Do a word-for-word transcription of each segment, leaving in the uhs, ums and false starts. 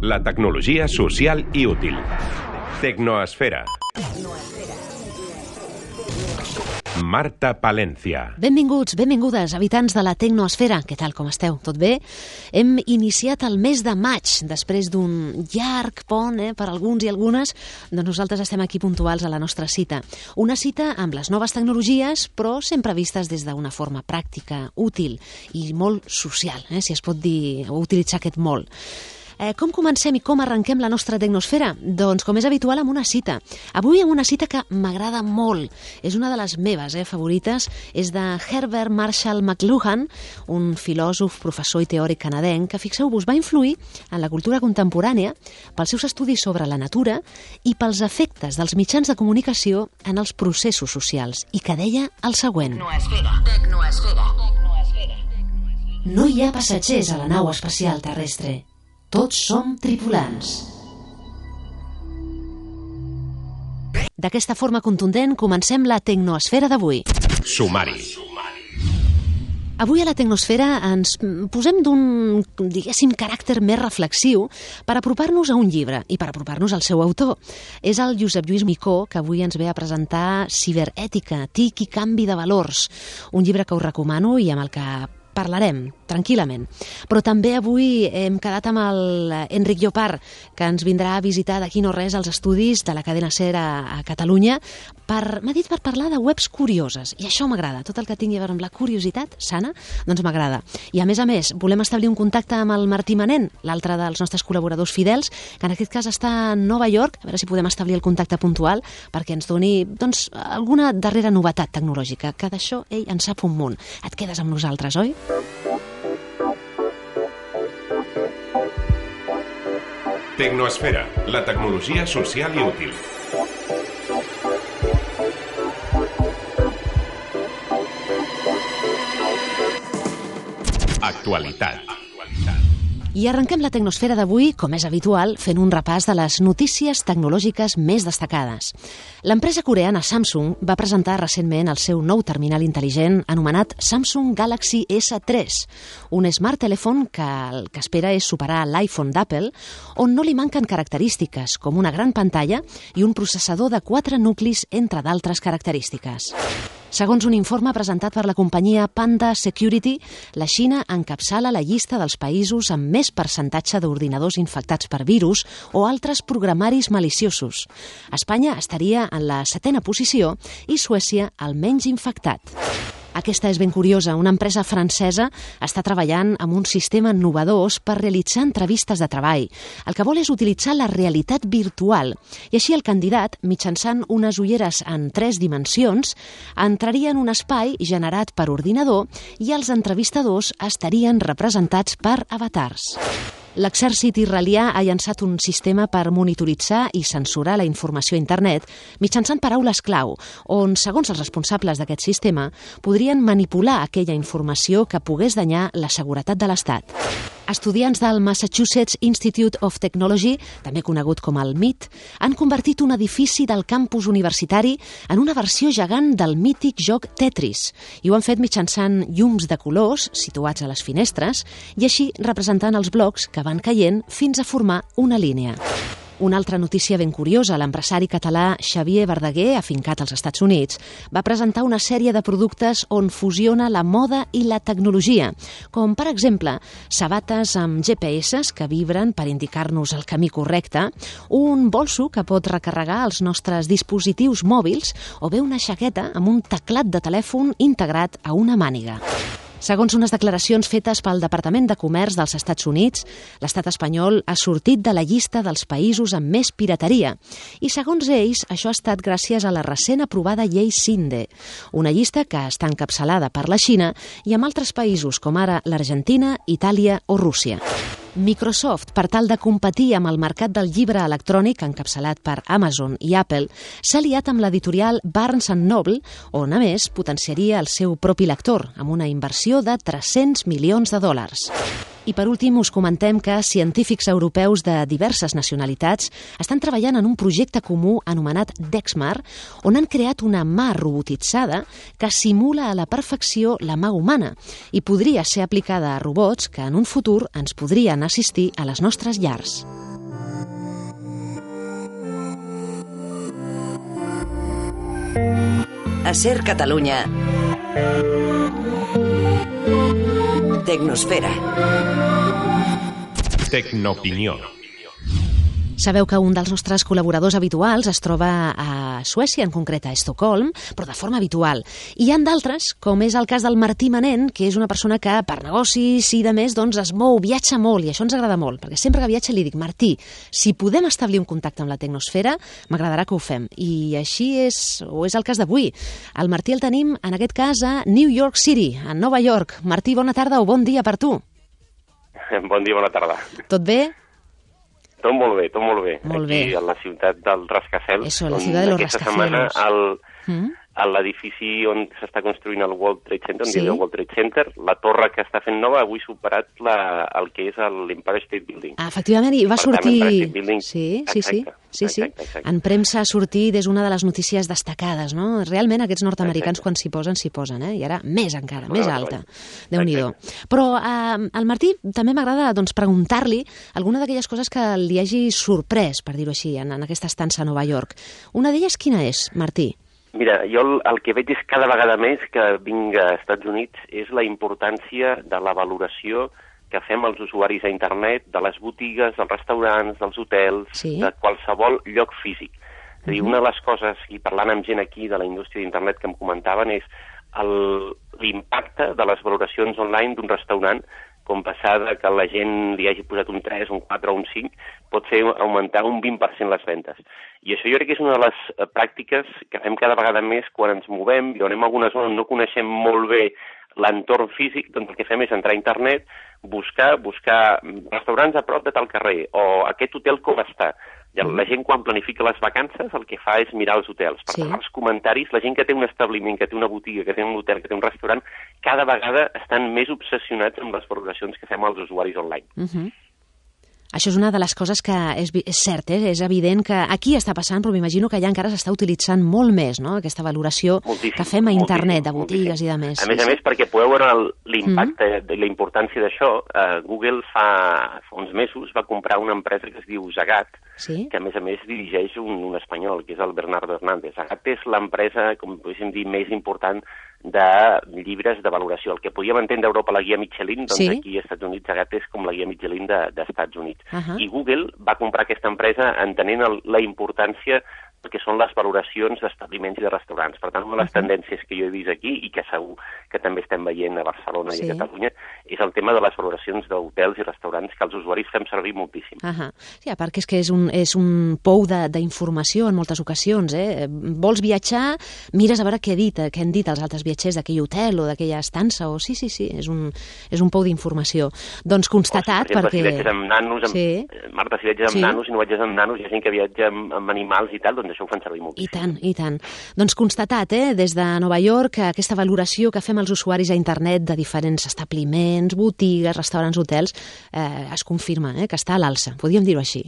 La tecnologia social i útil. Tecnoesfera. Marta Palencia. Benvinguts, benvingudes, habitants de la Tecnoesfera. Què tal, com esteu? Tot bé? Hem iniciat el mes de maig, després d'un llarg pont, eh, per alguns i algunes, doncs nosaltres estem aquí puntuals a la nostra cita. Una cita amb les noves tecnologies, però sempre vistes des d'una forma pràctica, útil i molt social, eh, si es pot dir, o utilitzar aquest molt. Eh, com comencem i com arrenquem la nostra tecnosfera? Doncs, com és habitual, amb una cita. Avui amb una cita que m'agrada molt. És una de les meves eh, favorites. És de Herbert Marshall McLuhan, un filòsof, professor i teòric canadenc que, fixeu-vos, va influir en la cultura contemporània pels seus estudis sobre la natura i pels efectes dels mitjans de comunicació en els processos socials, i que deia el següent. Tecnoesfera. Tecnoesfera. No hi ha passatgers a la nau espacial terrestre. Tots som tripulants. D'aquesta forma contundent comencem la Tecnoesfera d'avui. Sumari. Avui a la Tecnosfera ens posem d'un, diguéssim, caràcter més reflexiu per apropar-nos a un llibre i per apropar-nos al seu autor. És el Josep Lluís Micó, que avui ens ve a presentar Ciberètica, T I C i canvi de valors, un llibre que us recomano i amb el que parlarem tranquil·lament. Però també avui hem quedat amb l'Enric Llopart, que ens vindrà a visitar d'aquí no res als estudis de la cadena SER a, a Catalunya. Per, m'ha dit per parlar de webs curioses, i això m'agrada. Tot el que tingui a veure amb la curiositat sana, doncs m'agrada. I a més a més, volem establir un contacte amb el Martí Manent, l'altre dels nostres col·laboradors fidels, que en aquest cas està a Nova York, a veure si podem establir el contacte puntual perquè ens doni, doncs, alguna darrera novetat tecnològica, que d'això ell en sap un munt. Et quedes amb nosaltres, oi? Tecnoesfera, la tecnologia social i útil. Actualitat. I arrenquem la Tecnosfera d'avui, com és habitual, fent un repàs de les notícies tecnològiques més destacades. L'empresa coreana Samsung va presentar recentment el seu nou terminal intel·ligent anomenat Samsung Galaxy esse tres, un smart telèfon que el que espera és superar l'iPhone d'Apple, on no li manquen característiques com una gran pantalla i un processador de quatre nuclis, entre d'altres característiques. Segons un informe presentat per la companyia Panda Security, la Xina encapçala la llista dels països amb més percentatge d'ordinadors infectats per virus o altres programaris maliciosos. Espanya estaria en la setena posició i Suècia el menys infectat. Aquesta és ben curiosa. Una empresa francesa està treballant amb un sistema innovador per realitzar entrevistes de treball. El que vol és utilitzar la realitat virtual i així el candidat, mitjançant unes ulleres en tres dimensions, entraria en un espai generat per ordinador i els entrevistadors estarien representats per avatars. L'exèrcit israelià ha llançat un sistema per monitoritzar i censurar la informació a internet mitjançant paraules clau, on, segons els responsables d'aquest sistema, podrien manipular aquella informació que pogués danyar la seguretat de l'Estat. Estudiants del Massachusetts Institute of Technology, també conegut com el M I T, han convertit un edifici del campus universitari en una versió gegant del mític joc Tetris, i ho han fet mitjançant llums de colors situats a les finestres i així representant els blocs que van caient fins a formar una línia. Una altra notícia ben curiosa, l'empresari català Xavier Verdaguer, afincat als Estats Units, va presentar una sèrie de productes on fusiona la moda i la tecnologia, com, per exemple, sabates amb G P S que vibren per indicar-nos el camí correcte, un bolso que pot recarregar els nostres dispositius mòbils o bé una jaqueta amb un teclat de telèfon integrat a una màniga. Segons unes declaracions fetes pel Departament de Comerç dels Estats Units, l'estat espanyol ha sortit de la llista dels països amb més pirateria i, segons ells, això ha estat gràcies a la recent aprovada llei CINDE, una llista que està encapçalada per la Xina i amb altres països com ara l'Argentina, Itàlia o Rússia. Microsoft, per tal de competir amb el mercat del llibre electrònic encapçalat per Amazon i Apple, s'ha aliat amb l'editorial Barnes and Noble, on, a més, potenciaria el seu propi lector, amb una inversió de tres-cents milions de dòlars. I per últim us comentem que científics europeus de diverses nacionalitats estan treballant en un projecte comú anomenat Dexmar, on han creat una mà robotitzada que simula a la perfecció la mà humana i podria ser aplicada a robots que en un futur ens podrien assistir a les nostres llars. A Ser Catalunya. Tecnosfera. Tecnoopinió. Sabeu que un dels nostres col·laboradors habituals es troba a Suècia, en concret a Estocolm, però de forma habitual. I hi ha d'altres, com és el cas del Martí Manent, que és una persona que per negocis i de més doncs es mou, viatja molt, i això ens agrada molt, perquè sempre que viatja li dic, Martí, si podem establir un contacte amb la Tecnosfera, m'agradarà que ho fem. I així és, o és el cas d'avui. El Martí el tenim, en aquest cas, a New York City, a Nova York. Martí, bona tarda o bon dia per tu. Bon dia, bona tarda. Tot bé? Tot molt bé, tot molt bé. Molt Aquí, bé. a la ciutat del Rascacel. Eso, la ciutat de los Aquesta rascacielos. setmana, al, Mm? a l'edifici on s'està construint el World Trade Center, on Sí. sí. el World Trade Center, la torre que està fent nova avui ha superat la, el que és l'Empire State Building. Ah, efectivament, i va Per tant, sortir... Empire State Building- Sí, sí, sí. Exacte, sí, sí. exacte, exacte. En premsa ha sortit, és una de les notícies destacades, no? Realment aquests nord-americans Exacte. quan s'hi posen, s'hi posen, eh? I ara més encara, Una més altra alta. cosa. Déu-n'hi-do. Però eh, al Martí també m'agrada doncs, preguntar-li alguna d'aquelles coses que li hagi sorprès, per dir-ho així, en, en aquesta estança a Nova York. Una d'elles quina és, Martí? Mira, jo el, el que veig és cada vegada més que vinc a Estats Units és la importància de la valoració que fem els usuaris a internet, de les botigues, dels restaurants, dels hotels, Sí. de qualsevol lloc físic. És a dir, una de les coses, i parlant amb gent aquí de la indústria d'internet que em comentaven, és el- l'impacte de les valoracions online d'un restaurant, com passar de que la gent li hagi posat un tres, un quatre o un cinc, pot fer augmentar un vint per cent les ventes. I això jo crec que és una de les eh, pràctiques que fem cada vegada més quan ens movem, i on anem a alguna zona on no coneixem molt bé l'entorn físic, doncs el que fem és entrar a internet, buscar, buscar restaurants a prop de tal carrer, o aquest hotel com està. I la gent quan planifica les vacances el que fa és mirar els hotels. Per Sí. tant, els comentaris, la gent que té un establiment, que té una botiga, que té un hotel, que té un restaurant, cada vegada estan més obsessionats amb les valoracions que fem als usuaris online. Uh -huh. Això és una de les coses que és, vi- és cert, eh? És evident que aquí està passant, però m'imagino que allà encara s'està utilitzant molt més, no?, aquesta valoració Moltíssim, que fem a internet, de moltíssim, botigues moltíssim. i de més. A més a més, perquè podeu veure el- l'impacte, mm. la importància d'això, eh, Google fa, fa uns mesos va comprar una empresa que es diu Zagat, Sí? que a més a més dirigeix un, un espanyol, que és el Bernardo Hernández. Zagat és l'empresa, com podríem dir, més important de llibres de valoració. El que podíem entendre a Europa la guia Michelin, doncs Sí. aquí als Estats Units Zagat és com la guia Michelin de, d'Estats Units. Ahà. I Google va comprar aquesta empresa entenent el, la importància que són les valoracions d'establiments i de restaurants. Per tant, una de les tendències que jo he vist aquí i que segur que també estem veient a Barcelona Sí. i a Catalunya és el tema de les valoracions d'hotels i restaurants que els usuaris fem servir moltíssim. Ahà. Sí, a part que és que és un, és un pou de- d'informació en moltes ocasions, eh? Vols viatjar, mires a veure què, ha dit, què han dit els altres viatgers d'aquell hotel o d'aquella estança, o sí, sí, sí, és un, és un pou d'informació. Doncs constatat, O, per exemple, perquè... si viatges amb nanos, amb, Sí. Marta, si viatges amb Sí. nanos i no viatges amb nanos, hi ha gent que viatja amb, amb animals i tal, doncs això ho fan servir I moltíssim. tant, i tant. Doncs constatat, eh, des de Nova York, aquesta valoració que fem els usuaris a internet de diferents establiments, botigues, restaurants, hotels, eh, es confirma eh, que està a l'alça, podríem dir-ho així.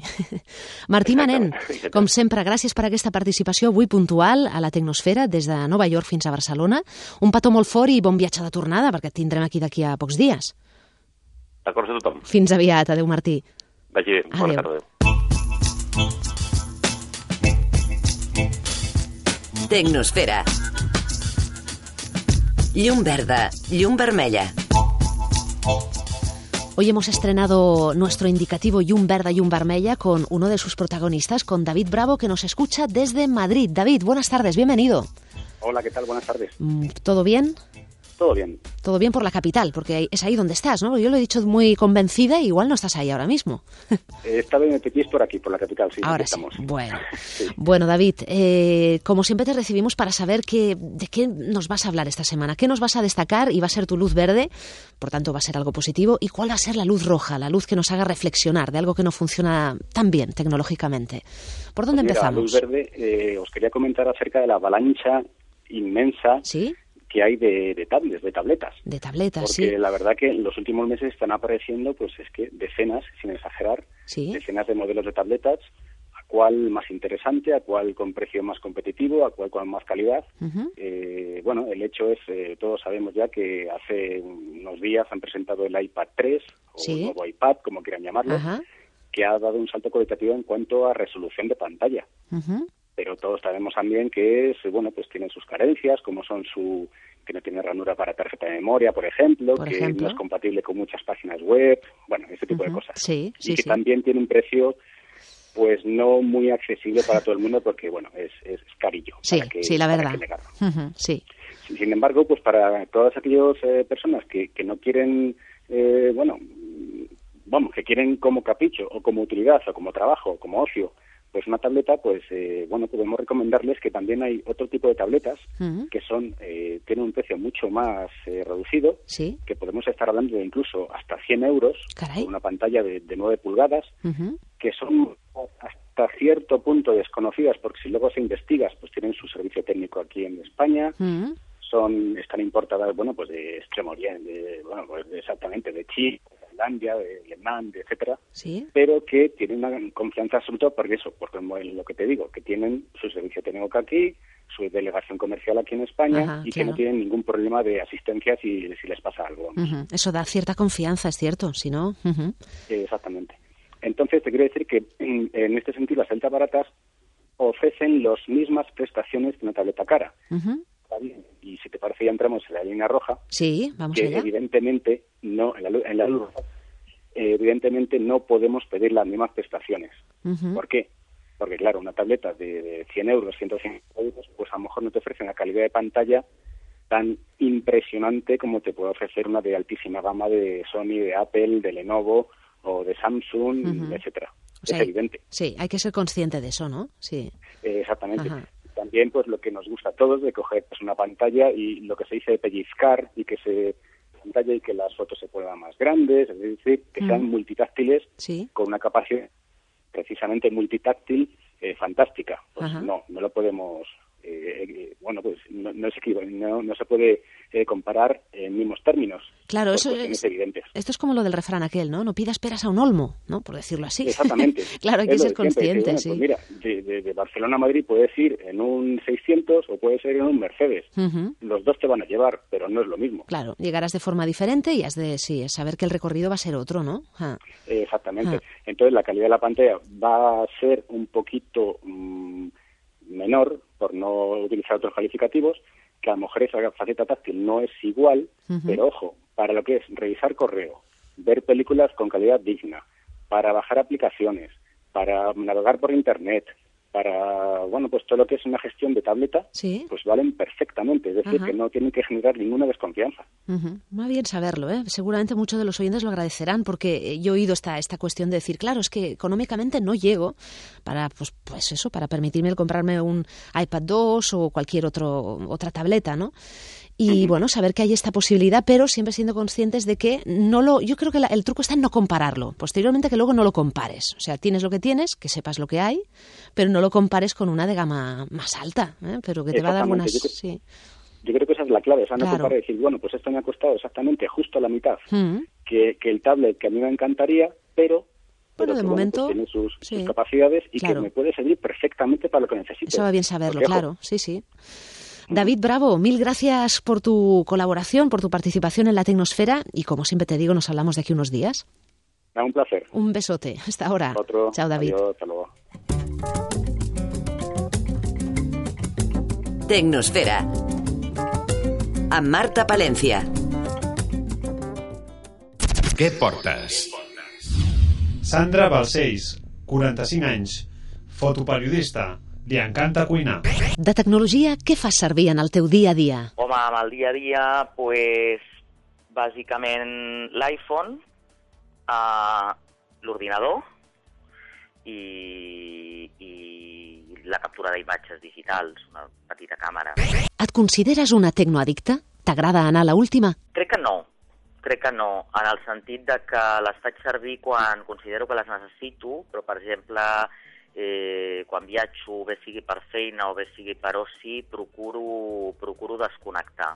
Martí Manent, Exactament. com sempre, gràcies per aquesta participació avui puntual a la Tecnosfera, des de Nova York fins a Barcelona. Un petó molt fort i bon viatge de tornada, perquè et tindrem aquí d'aquí a pocs dies. D'acord a tothom. Fins aviat. Adéu, Martí. Vagi bé. Bona Adéu. tarda. Tecnosfera. Llum verda, llum vermella. Hoy hemos estrenado nuestro indicativo Llum Verda, Llum Vermella con uno de sus protagonistas, con David Bravo, que nos escucha desde Madrid. David, buenas tardes, bienvenido. Hola, ¿qué tal? Buenas tardes. Mm, ¿Todo bien? Todo bien. Todo bien por la capital, porque es ahí donde estás, ¿no? Yo lo he dicho muy convencida, igual no estás ahí ahora mismo. Eh, Esta vez me petís por aquí, por la capital, sí. Ahora aquí sí. estamos. Bueno, Sí. bueno David, eh, como siempre te recibimos para saber que, de qué nos vas a hablar esta semana, qué nos vas a destacar y va a ser tu luz verde, por tanto va a ser algo positivo, y cuál va a ser la luz roja, la luz que nos haga reflexionar de algo que no funciona tan bien tecnológicamente. ¿Por dónde Pues mira, empezamos? Luz Verde, eh, os quería comentar acerca de la avalancha inmensa ¿Sí? que hay de, de tablets, de tabletas. De tabletas, Porque sí. la verdad que en los últimos meses están apareciendo, pues es que decenas, sin exagerar, Sí. decenas de modelos de tabletas, a cuál más interesante, a cuál con precio más competitivo, a cuál con más calidad. Ujú. Eh, bueno, el hecho es, eh, todos sabemos ya que hace unos días han presentado el iPad tres, o Sí. el nuevo iPad, como quieran llamarlo, Ajá. que ha dado un salto cualitativo en cuanto a resolución de pantalla. Ujú. pero todos sabemos también que es, bueno, pues tienen sus carencias, como son su que no tiene ranura para tarjeta de memoria, por ejemplo, por que ejemplo. no es compatible con muchas páginas web, bueno, ese tipo uh-huh. de cosas. Sí, sí, y que sí. también tiene un precio pues no muy accesible para todo el mundo porque, bueno, es, es carillo. Sí, para que, sí, la para verdad. que negarlo. Uh-huh, sí. Sin embargo, pues para todas aquellas eh, personas que, que no quieren, eh, bueno, vamos, que quieren como capricho o como utilidad o como trabajo o como ocio, pues una tableta, pues eh, bueno, podemos recomendarles que también hay otro tipo de tabletas uh-huh. que son eh, tienen un precio mucho más eh, reducido, ¿Sí? que podemos estar hablando de incluso hasta cien euros, Caray. con una pantalla de, de nueve pulgadas, uh-huh. que son hasta cierto punto desconocidas, porque si luego se investigas, pues tienen su servicio técnico aquí en España, uh-huh. son están importadas, bueno, pues de Extremo Oriente, de, bueno, pues de exactamente de Chile, de Finlandia, de Vietnam, de etcétera, ¿Sí? pero que tienen una confianza absoluta porque eso, porque lo que te digo, que tienen su servicio técnico aquí, su delegación comercial aquí en España, Ajá, y claro. que no tienen ningún problema de asistencia si, si les pasa algo. Uh-huh. Eso da cierta confianza, es cierto, si no... Uh-huh. Eh, exactamente. Entonces, te quiero decir que en, en este sentido las tabletas baratas ofrecen las mismas prestaciones que una tableta cara. Uh-huh. Y si te parece ya entramos en la línea roja. Sí, vamos que allá. evidentemente no, en la, en la luz roja, eh, evidentemente no podemos pedir las mismas prestaciones. Uh-huh. ¿Por qué? Porque claro, una tableta de, de cien euros, ciento cincuenta euros, pues a lo mejor no te ofrece una calidad de pantalla tan impresionante como te puede ofrecer una de altísima gama de Sony, de Apple, de Lenovo o de Samsung, uh-huh. etcétera. O sea, es evidente. Sí, hay que ser consciente de eso, ¿no? Sí. Eh, exactamente. Ajá. También, pues, lo que nos gusta a todos de coger pues, una pantalla y lo que se dice pellizcar y que se pantalla y que las fotos se puedan más grandes, es decir, que uh-huh. sean multitáctiles ¿Sí? con una capacidad precisamente multitáctil eh, fantástica. Pues Ajá. no, no lo podemos... Eh, eh, bueno, pues no, no, se, no, no se puede eh, comparar en mismos términos. Claro, eso es evidentes. Esto es como lo del refrán aquel, ¿no? No pidas peras a un olmo, ¿no? Por decirlo así. Exactamente. Claro, hay que ser consciente, bueno, sí. Pues mira, de, de, de Barcelona a Madrid puedes ir en un seiscientos o puedes ir en un Mercedes. Uh-huh. Los dos te van a llevar, pero no es lo mismo. Claro, llegarás de forma diferente y has de sí, saber que el recorrido va a ser otro, ¿no? Ah. Eh, exactamente. Ah. Entonces la calidad de la pantalla va a ser un poquito mmm, menor, por no utilizar otros calificativos, que a lo mejor esa faceta táctil no es igual, uh-huh. pero ojo, para lo que es revisar correo, ver películas con calidad digna, para bajar aplicaciones, para navegar por internet, para, bueno, pues todo lo que es una gestión de tableta, ¿Sí? pues valen perfectamente, es decir, uh-huh. que no tienen que generar ninguna desconfianza. Uh-huh. Muy bien saberlo, ¿eh? Seguramente muchos de los oyentes lo agradecerán porque yo he oído esta, esta cuestión de decir, claro, es que económicamente no llego para, pues, pues eso, para permitirme el comprarme un iPad dos o cualquier otro, otra tableta, ¿no? Y uh-huh. bueno, saber que hay esta posibilidad, pero siempre siendo conscientes de que no lo... Yo creo que la, el truco está en no compararlo. Posteriormente que luego no lo compares. O sea, tienes lo que tienes, que sepas lo que hay, pero no lo compares con una de gama más alta, ¿eh? Pero que te va a dar buenas... Yo creo, sí. yo creo que esa es la clave, o sea, no Claro. comparar y decir, bueno, pues esto me ha costado exactamente justo la mitad Uh-huh. que, que el tablet que a mí me encantaría, pero... Bueno, pero de que, momento, bueno, pues tiene sus, sí. sus capacidades y Claro. que me puede servir perfectamente para lo que necesito. Eso va bien saberlo, Porque, claro, ojo, sí, sí. David Bravo, mil gracias por tu colaboración, por tu participación en la Tecnosfera y como siempre te digo, nos hablamos de aquí unos días. Un placer. Un besote. Hasta ahora. Otro. Chao, David. Adiós, hasta luego. Tecnosfera. Amb Marta Palencia. Què portes? Sandra Balcells, quaranta-cinc anys, fotoperiodista, li encanta cuinar. De tecnologia, què fas servir en el teu dia a dia? Home, amb el dia a dia, pues, bàsicament l'iPhone, uh, l'ordinador i, i la captura d'imatges digitals, una petita càmera. Et consideres una tecnoaddicta? T'agrada anar a la última? Crec que no. Crec que no, en el sentit de que les faig servir quan considero que les necessito, però, per exemple, eh, quan viatjo, bé sigui per feina o bé sigui per oci, procuro, procuro desconnectar.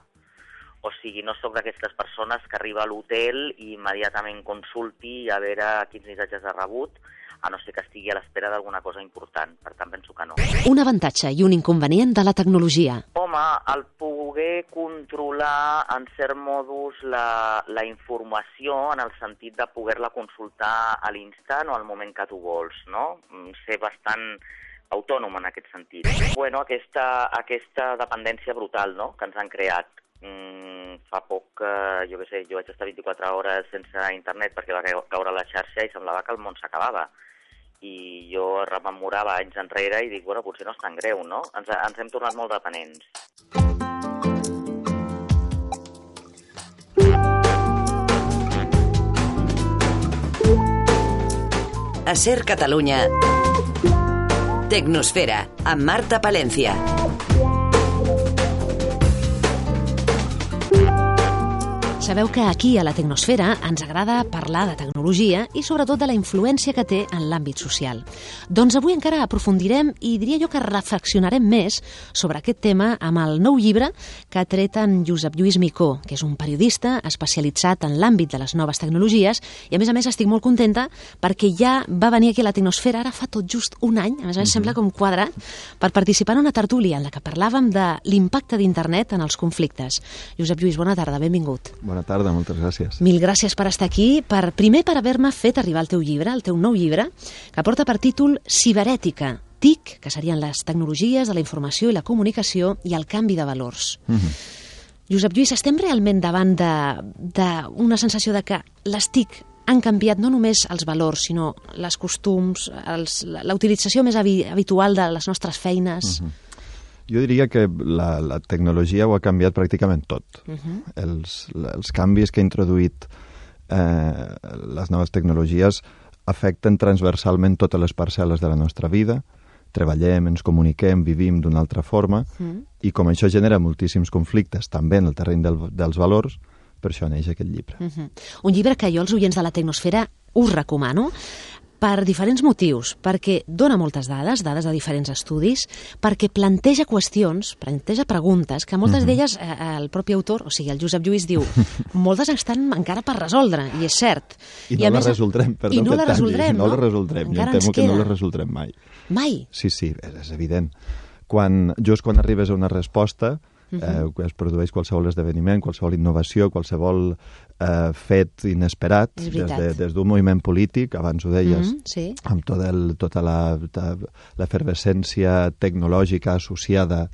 O sigui, no sóc d'aquestes persones que arriba a l'hotel i immediatament consulti a veure quins missatges ha rebut, a no ser que estigui a l'espera d'alguna cosa important. Per tant, penso que no. Un avantatge i un inconvenient de la tecnologia. Home, el poder controlar en cert modus la, la informació en el sentit de poder-la consultar a l'instant o al moment que tu vols, no? Ser bastant autònom en aquest sentit. Bueno, aquesta, aquesta dependència brutal, no?, que ens han creat. Mm, fa poc, eh, jo què sé, jo vaig estar vint-i-quatre hores sense internet perquè va caure la xarxa i semblava que el món s'acabava. I jo rememorava anys enrere i dic, bueno, potser no és tan greu, no? Ens, ens hem tornat molt dependents. A Ser Catalunya, Tecnosfera, amb Marta Palencia. Sabeu que aquí, a la Tecnosfera, ens agrada parlar de tecnologia i sobretot de la influència que té en l'àmbit social. Doncs avui encara aprofundirem i diria jo que reflexionarem més sobre aquest tema amb el nou llibre que ha tret en Josep Lluís Micó, que és un periodista especialitzat en l'àmbit de les noves tecnologies, i a més a més estic molt contenta perquè ja va venir aquí a la Tecnosfera ara fa tot just un any, a més a més mm-hmm. sembla com quadrat, per participar en una tertúlia en la que parlàvem de l'impacte d'internet en els conflictes. Josep Lluís, bona tarda, benvingut. Bona tarda, moltes gràcies. Mil gràcies per estar aquí, per, primer per haver-me fet arribar el teu llibre, el teu nou llibre, que porta per títol Ciberètica, T I C, que serien les tecnologies de la informació i la comunicació i el canvi de valors. Mm-hmm. Josep Lluís, estem realment davant d'una sensació de que les T I C han canviat no només els valors, sinó les costums, els, la utilització més habitual de les nostres feines? Mm-hmm. Jo diria que la, la tecnologia ho ha canviat pràcticament tot. Uh-huh. Els, els canvis que ha introduït eh, les noves tecnologies afecten transversalment totes les parcel·les de la nostra vida. Treballem, ens comuniquem, vivim d'una altra forma, uh-huh. i com això genera moltíssims conflictes, també en el terreny del, dels valors, per això neix aquest llibre. Uh-huh. Un llibre que jo, els oients de la Tecnosfera, us recomano, per diferents motius, perquè dona moltes dades, dades de diferents estudis, perquè planteja qüestions, planteja preguntes, que moltes mm-hmm. d'elles eh, el propi autor, o sigui, el Josep Lluís diu, moltes estan encara per resoldre, i és cert. I, I no les resoldrem, perdó. I no les resoldrem, no? No les resoldrem, jo em temo que no les resoldrem mai. Mai? Sí, sí, és, és evident. Quan, just quan arribes a una resposta, Uh-huh. eh, es produeix qualsevol esdeveniment, qualsevol innovació, qualsevol eh, fet inesperat, des, de, des d'un moviment polític, abans ho deies, uh-huh, sí. amb tot el, tota l'efervescència tecnològica associada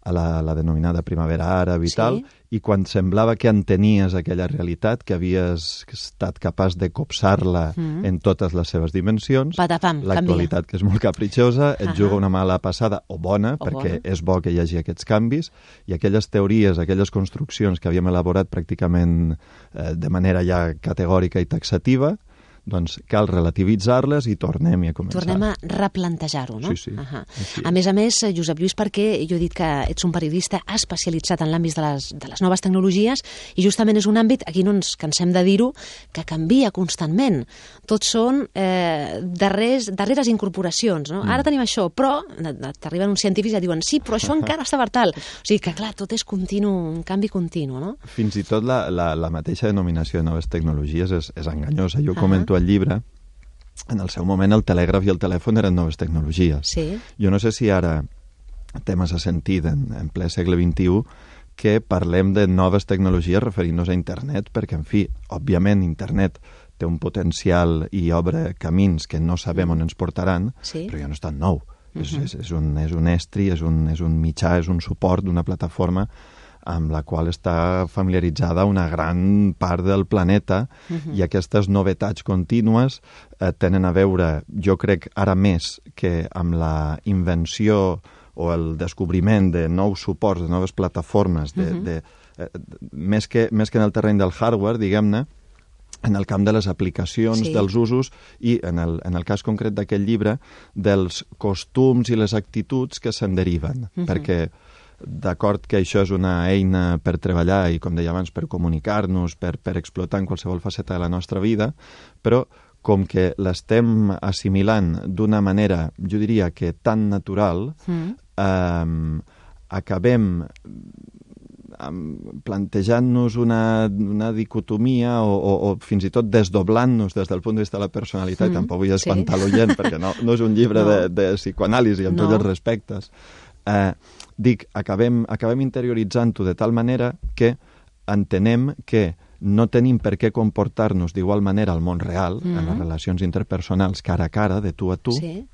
a la, la denominada primavera àrab i sí. tal, i quan semblava que entenies aquella realitat, que havies estat capaç de copsar-la mm. en totes les seves dimensions, Patapam, l'actualitat, que és molt capritxosa, et uh-huh. juga una mala passada, o bona, o perquè bona. És bo que hi hagi aquests canvis, i aquelles teories, aquelles construccions que havíem elaborat pràcticament eh, de manera ja categòrica i taxativa, doncs cal relativitzar-les i tornem-hi a començar. Tornem a replantejar-ho, no? Sí, sí. Uh-huh. A més a més, Josep Lluís, perquè jo he dit que ets un periodista especialitzat en l'àmbit de, les, de les noves tecnologies i justament és un àmbit, aquí no ens cansem de dir-ho, que canvia constantment. Tots són eh, darrers, darreres incorporacions, no? Mm. Ara tenim això, però t'arriben uns científics i et diuen sí, però això encara està per tal. O sigui que, clar, tot és continu, un canvi continu, no? Fins i tot la, la, la mateixa denominació de noves tecnologies és, és enganyosa. Jo comento al llibre, en el seu moment el telègraf i el telèfon eren noves tecnologies. Sí. Jo no sé si ara té massa sentit en, en ple segle vint-i-u que parlem de noves tecnologies referint-nos a internet, perquè, en fi, òbviament internet té un potencial i obre camins que no sabem on ens portaran, sí. però ja no és tan nou. Uh-huh. és, és, és, un, és un estri, és un, és un mitjà, és un suport d'una plataforma amb la qual està familiaritzada una gran part del planeta, uh-huh. i aquestes novetats contínues eh, tenen a veure, jo crec, ara més que amb la invenció o el descobriment de nous suports, de noves plataformes, de, uh-huh. de, eh, més, que, més que en el terreny del hardware, diguem-ne, en el camp de les aplicacions, sí. dels usos i, en el, en el cas concret d'aquest llibre, dels costums i les actituds que se'n deriven, uh-huh. perquè d'acord que això és una eina per treballar i, com deia abans, per comunicar-nos, per, per explotar en qualsevol faceta de la nostra vida, però com que l'estem assimilant d'una manera, jo diria que tan natural, mm. eh, acabem plantejant-nos una, una dicotomia o, o, o fins i tot desdoblant-nos des del punt de vista de la personalitat, mm. tampoc vull espantar sí. l'oient, perquè no, no és un llibre no. de, de psicoanàlisi amb no. tots els respectes. Eh, dic, acabem, acabem interioritzant-ho de tal manera que entenem que no tenim per què comportar-nos d'igual manera al món real, mm-hmm. en les relacions interpersonals cara a cara, de tu a tu, sí.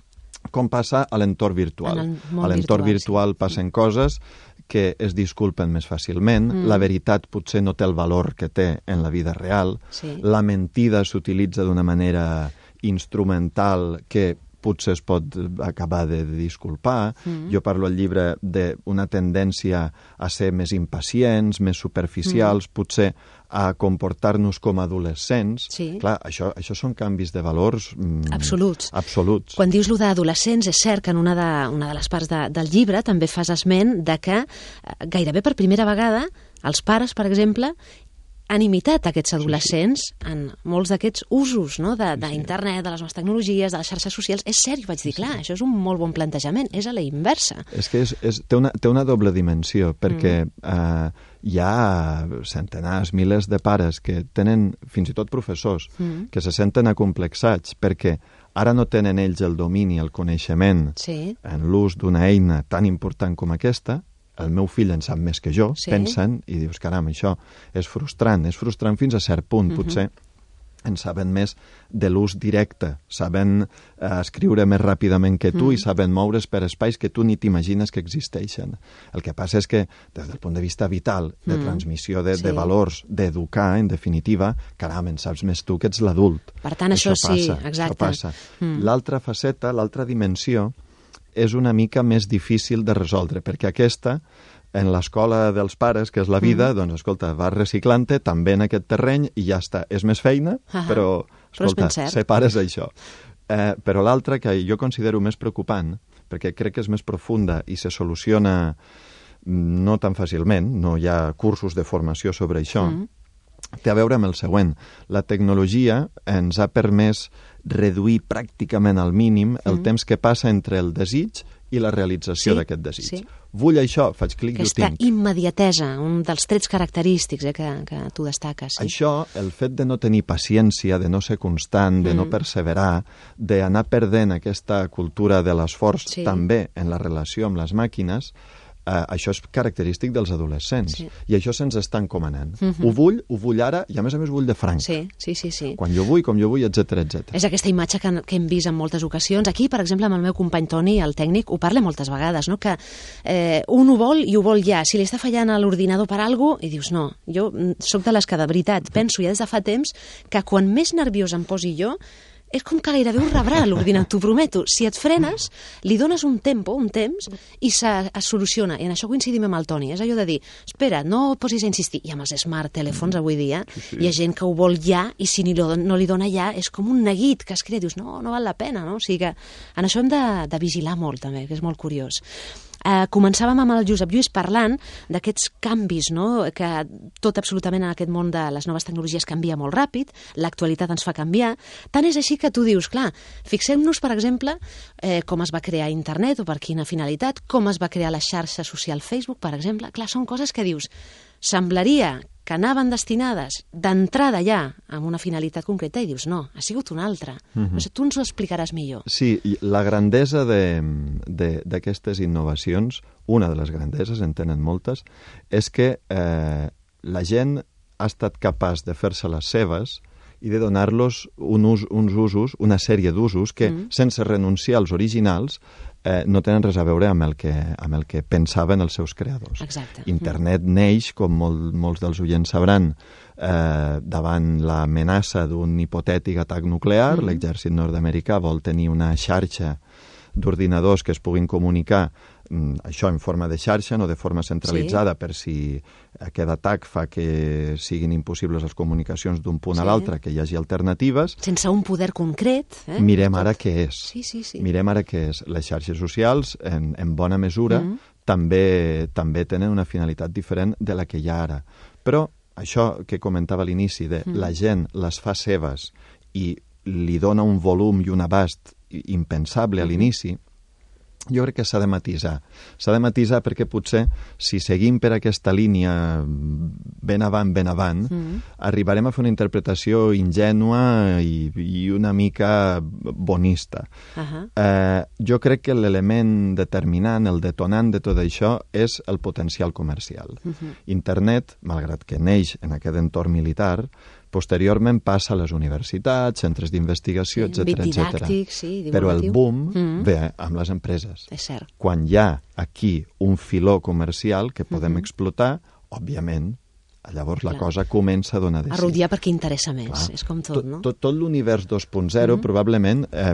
com passa a l'entorn virtual. A l'entorn virtual sí. passen coses que es disculpen més fàcilment, mm. la veritat potser no té el valor que té en la vida real, sí. la mentida s'utilitza d'una manera instrumental que potser es pot acabar de disculpar. Mm. Jo parlo al llibre d'una tendència a ser més impacients, més superficials, mm. potser a comportar-nos com a adolescents. Sí. Clar, això, això són canvis de valors mm, absoluts. absoluts. Quan dius lo d'adolescents, és cert que en una de, una de les parts de, del llibre també fas esment de que gairebé per primera vegada els pares, per exemple, han imitat aquests adolescents sí, sí. en molts d'aquests usos no? d'internet, de, de les noves tecnologies, de les xarxes socials. És cert, jo vaig dir, clar, sí. això és un molt bon plantejament, és a la inversa. És que és, és, té, una, té una doble dimensió, perquè mm. eh, hi ha centenars, milers de pares que tenen, fins i tot professors, mm. que se senten acomplexats perquè ara no tenen ells el domini, el coneixement sí. en l'ús d'una eina tan important com aquesta. El meu fill en sap més que jo, sí. pensen, i dius, caram, això és frustrant. És frustrant fins a cert punt, uh-huh. potser en saben més de l'ús directe, saben eh, escriure més ràpidament que tu uh-huh. i saben moure's per espais que tu ni t'imagines que existeixen. El que passa és que, des del punt de vista vital, de uh-huh. transmissió de, sí. de valors, d'educar, en definitiva, caram, en saps més tu que ets l'adult. Per tant, això, això sí, passa, exacte. Això passa. Uh-huh. L'altra faceta, l'altra dimensió, és una mica més difícil de resoldre, perquè aquesta, en l'escola dels pares, que és la vida, mm. doncs, escolta, vas reciclant-te també en aquest terreny i ja està. És més feina, uh-huh. però, escolta, però separes això. Eh, però l'altra, que jo considero més preocupant, perquè crec que és més profunda i se soluciona no tan fàcilment, no hi ha cursos de formació sobre això, mm. té a veure amb el següent. La tecnologia ens ha permès reduir pràcticament al mínim el mm. temps que passa entre el desig i la realització sí, d'aquest desig. Sí. Vull això, faig clic i ho tinc. Aquesta immediatesa, un dels trets característics eh, que, que tu destaques. Sí. Això, el fet de no tenir paciència, de no ser constant, de mm. no perseverar, d'anar perdent aquesta cultura de l'esforç sí. també en la relació amb les màquines, Uh, això és característic dels adolescents. Sí. I això se'ns està encomanant. Uh-huh. Ho vull, ho vull ara, i a més a més vull de franc. Sí, sí, sí, sí. Quan jo vull, com jo vull, etcètera, etcètera. És aquesta imatge que, que hem vist en moltes ocasions. Aquí, per exemple, amb el meu company Toni, el tècnic, ho parla moltes vegades, no? Que eh, un ho vol i ho vol ja. Si li està fallant a l'ordinador per alguna cosa, i dius, no, jo sóc de les que de veritat penso ja des de fa temps que quan més nerviós em posi jo, és com que gairebé ho rebrà l'ordinador, t'ho prometo. Si et frenes, li dones un tempo, un temps, i se, es soluciona. I en això coincidim amb el Toni. És allò de dir, espera, no posis a insistir. I amb els smart telèfons avui dia sí, sí. hi ha gent que ho vol ja, i si ni lo, no li dona ja, és com un neguit que es crea. Dius, no, no val la pena, no? O sigui que en això hem de, de vigilar molt, també, que és molt curiós. Eh, començàvem amb el Josep Lluís parlant d'aquests canvis, no? Que tot absolutament en aquest món de les noves tecnologies canvia molt ràpid, l'actualitat ens fa canviar. Tant és així que tu dius, clar, fixem-nos, per exemple, eh, com es va crear internet o per quina finalitat, com es va crear la xarxa social Facebook, per exemple. Clar, són coses que dius, semblaria que anaven destinades d'entrada ja amb una finalitat concreta i dius, no, ha sigut una altra. Uh-huh. No sé, tu ens ho explicaràs millor. Sí, la grandesa d'aquestes innovacions, una de les grandeses, en tenen moltes, és que eh, la gent ha estat capaç de fer-se les seves i de donar-los un us, uns usos, una sèrie d'usos que, mm. sense renunciar als originals, eh, no tenen res a veure amb el que, amb el que pensaven els seus creadors. Exacte. Internet mm. neix, com molt, molts dels oients sabran, eh, davant l'amenaça d'un hipotètic atac nuclear. Mm. L'exèrcit nord-americà vol tenir una xarxa d'ordinadors que es puguin comunicar, això en forma de xarxa, no de forma centralitzada, sí. per si aquest atac fa que siguin impossibles les comunicacions d'un punt sí. a l'altre, que hi hagi alternatives. Sense un poder concret. Eh? Mirem ara què és. Sí, sí, sí. Mirem ara què és. Les xarxes socials, en, en bona mesura, mm. també, també tenen una finalitat diferent de la que hi ha ara. Però això que comentava a l'inici, de mm. la gent les fa seves i li dona un volum i un abast impensable a l'inici, jo crec que s'ha de matisar. S'ha de matisar perquè potser, si seguim per aquesta línia ben avant, ben avant, mm. arribarem a fer una interpretació ingènua i, i una mica bonista. Uh-huh. Eh, jo crec que l'element determinant, el detonant de tot això, és el potencial comercial. Uh-huh. Internet, malgrat que neix en aquest entorn militar, Posteriorment passa a les universitats, centres d'investigació, Sí, etcètera, àmbit etcètera. didàctic, sí, Però el divulgatiu. boom Mm. ve amb les empreses. És cert. Quan hi ha aquí un filó comercial que podem Mhm. explotar, òbviament, llavors la Clar. cosa comença a donar de A sí. rotllar perquè interessa més, Clar. és com tot, no? Tot, tot l'univers dos punt zero Mhm. probablement eh,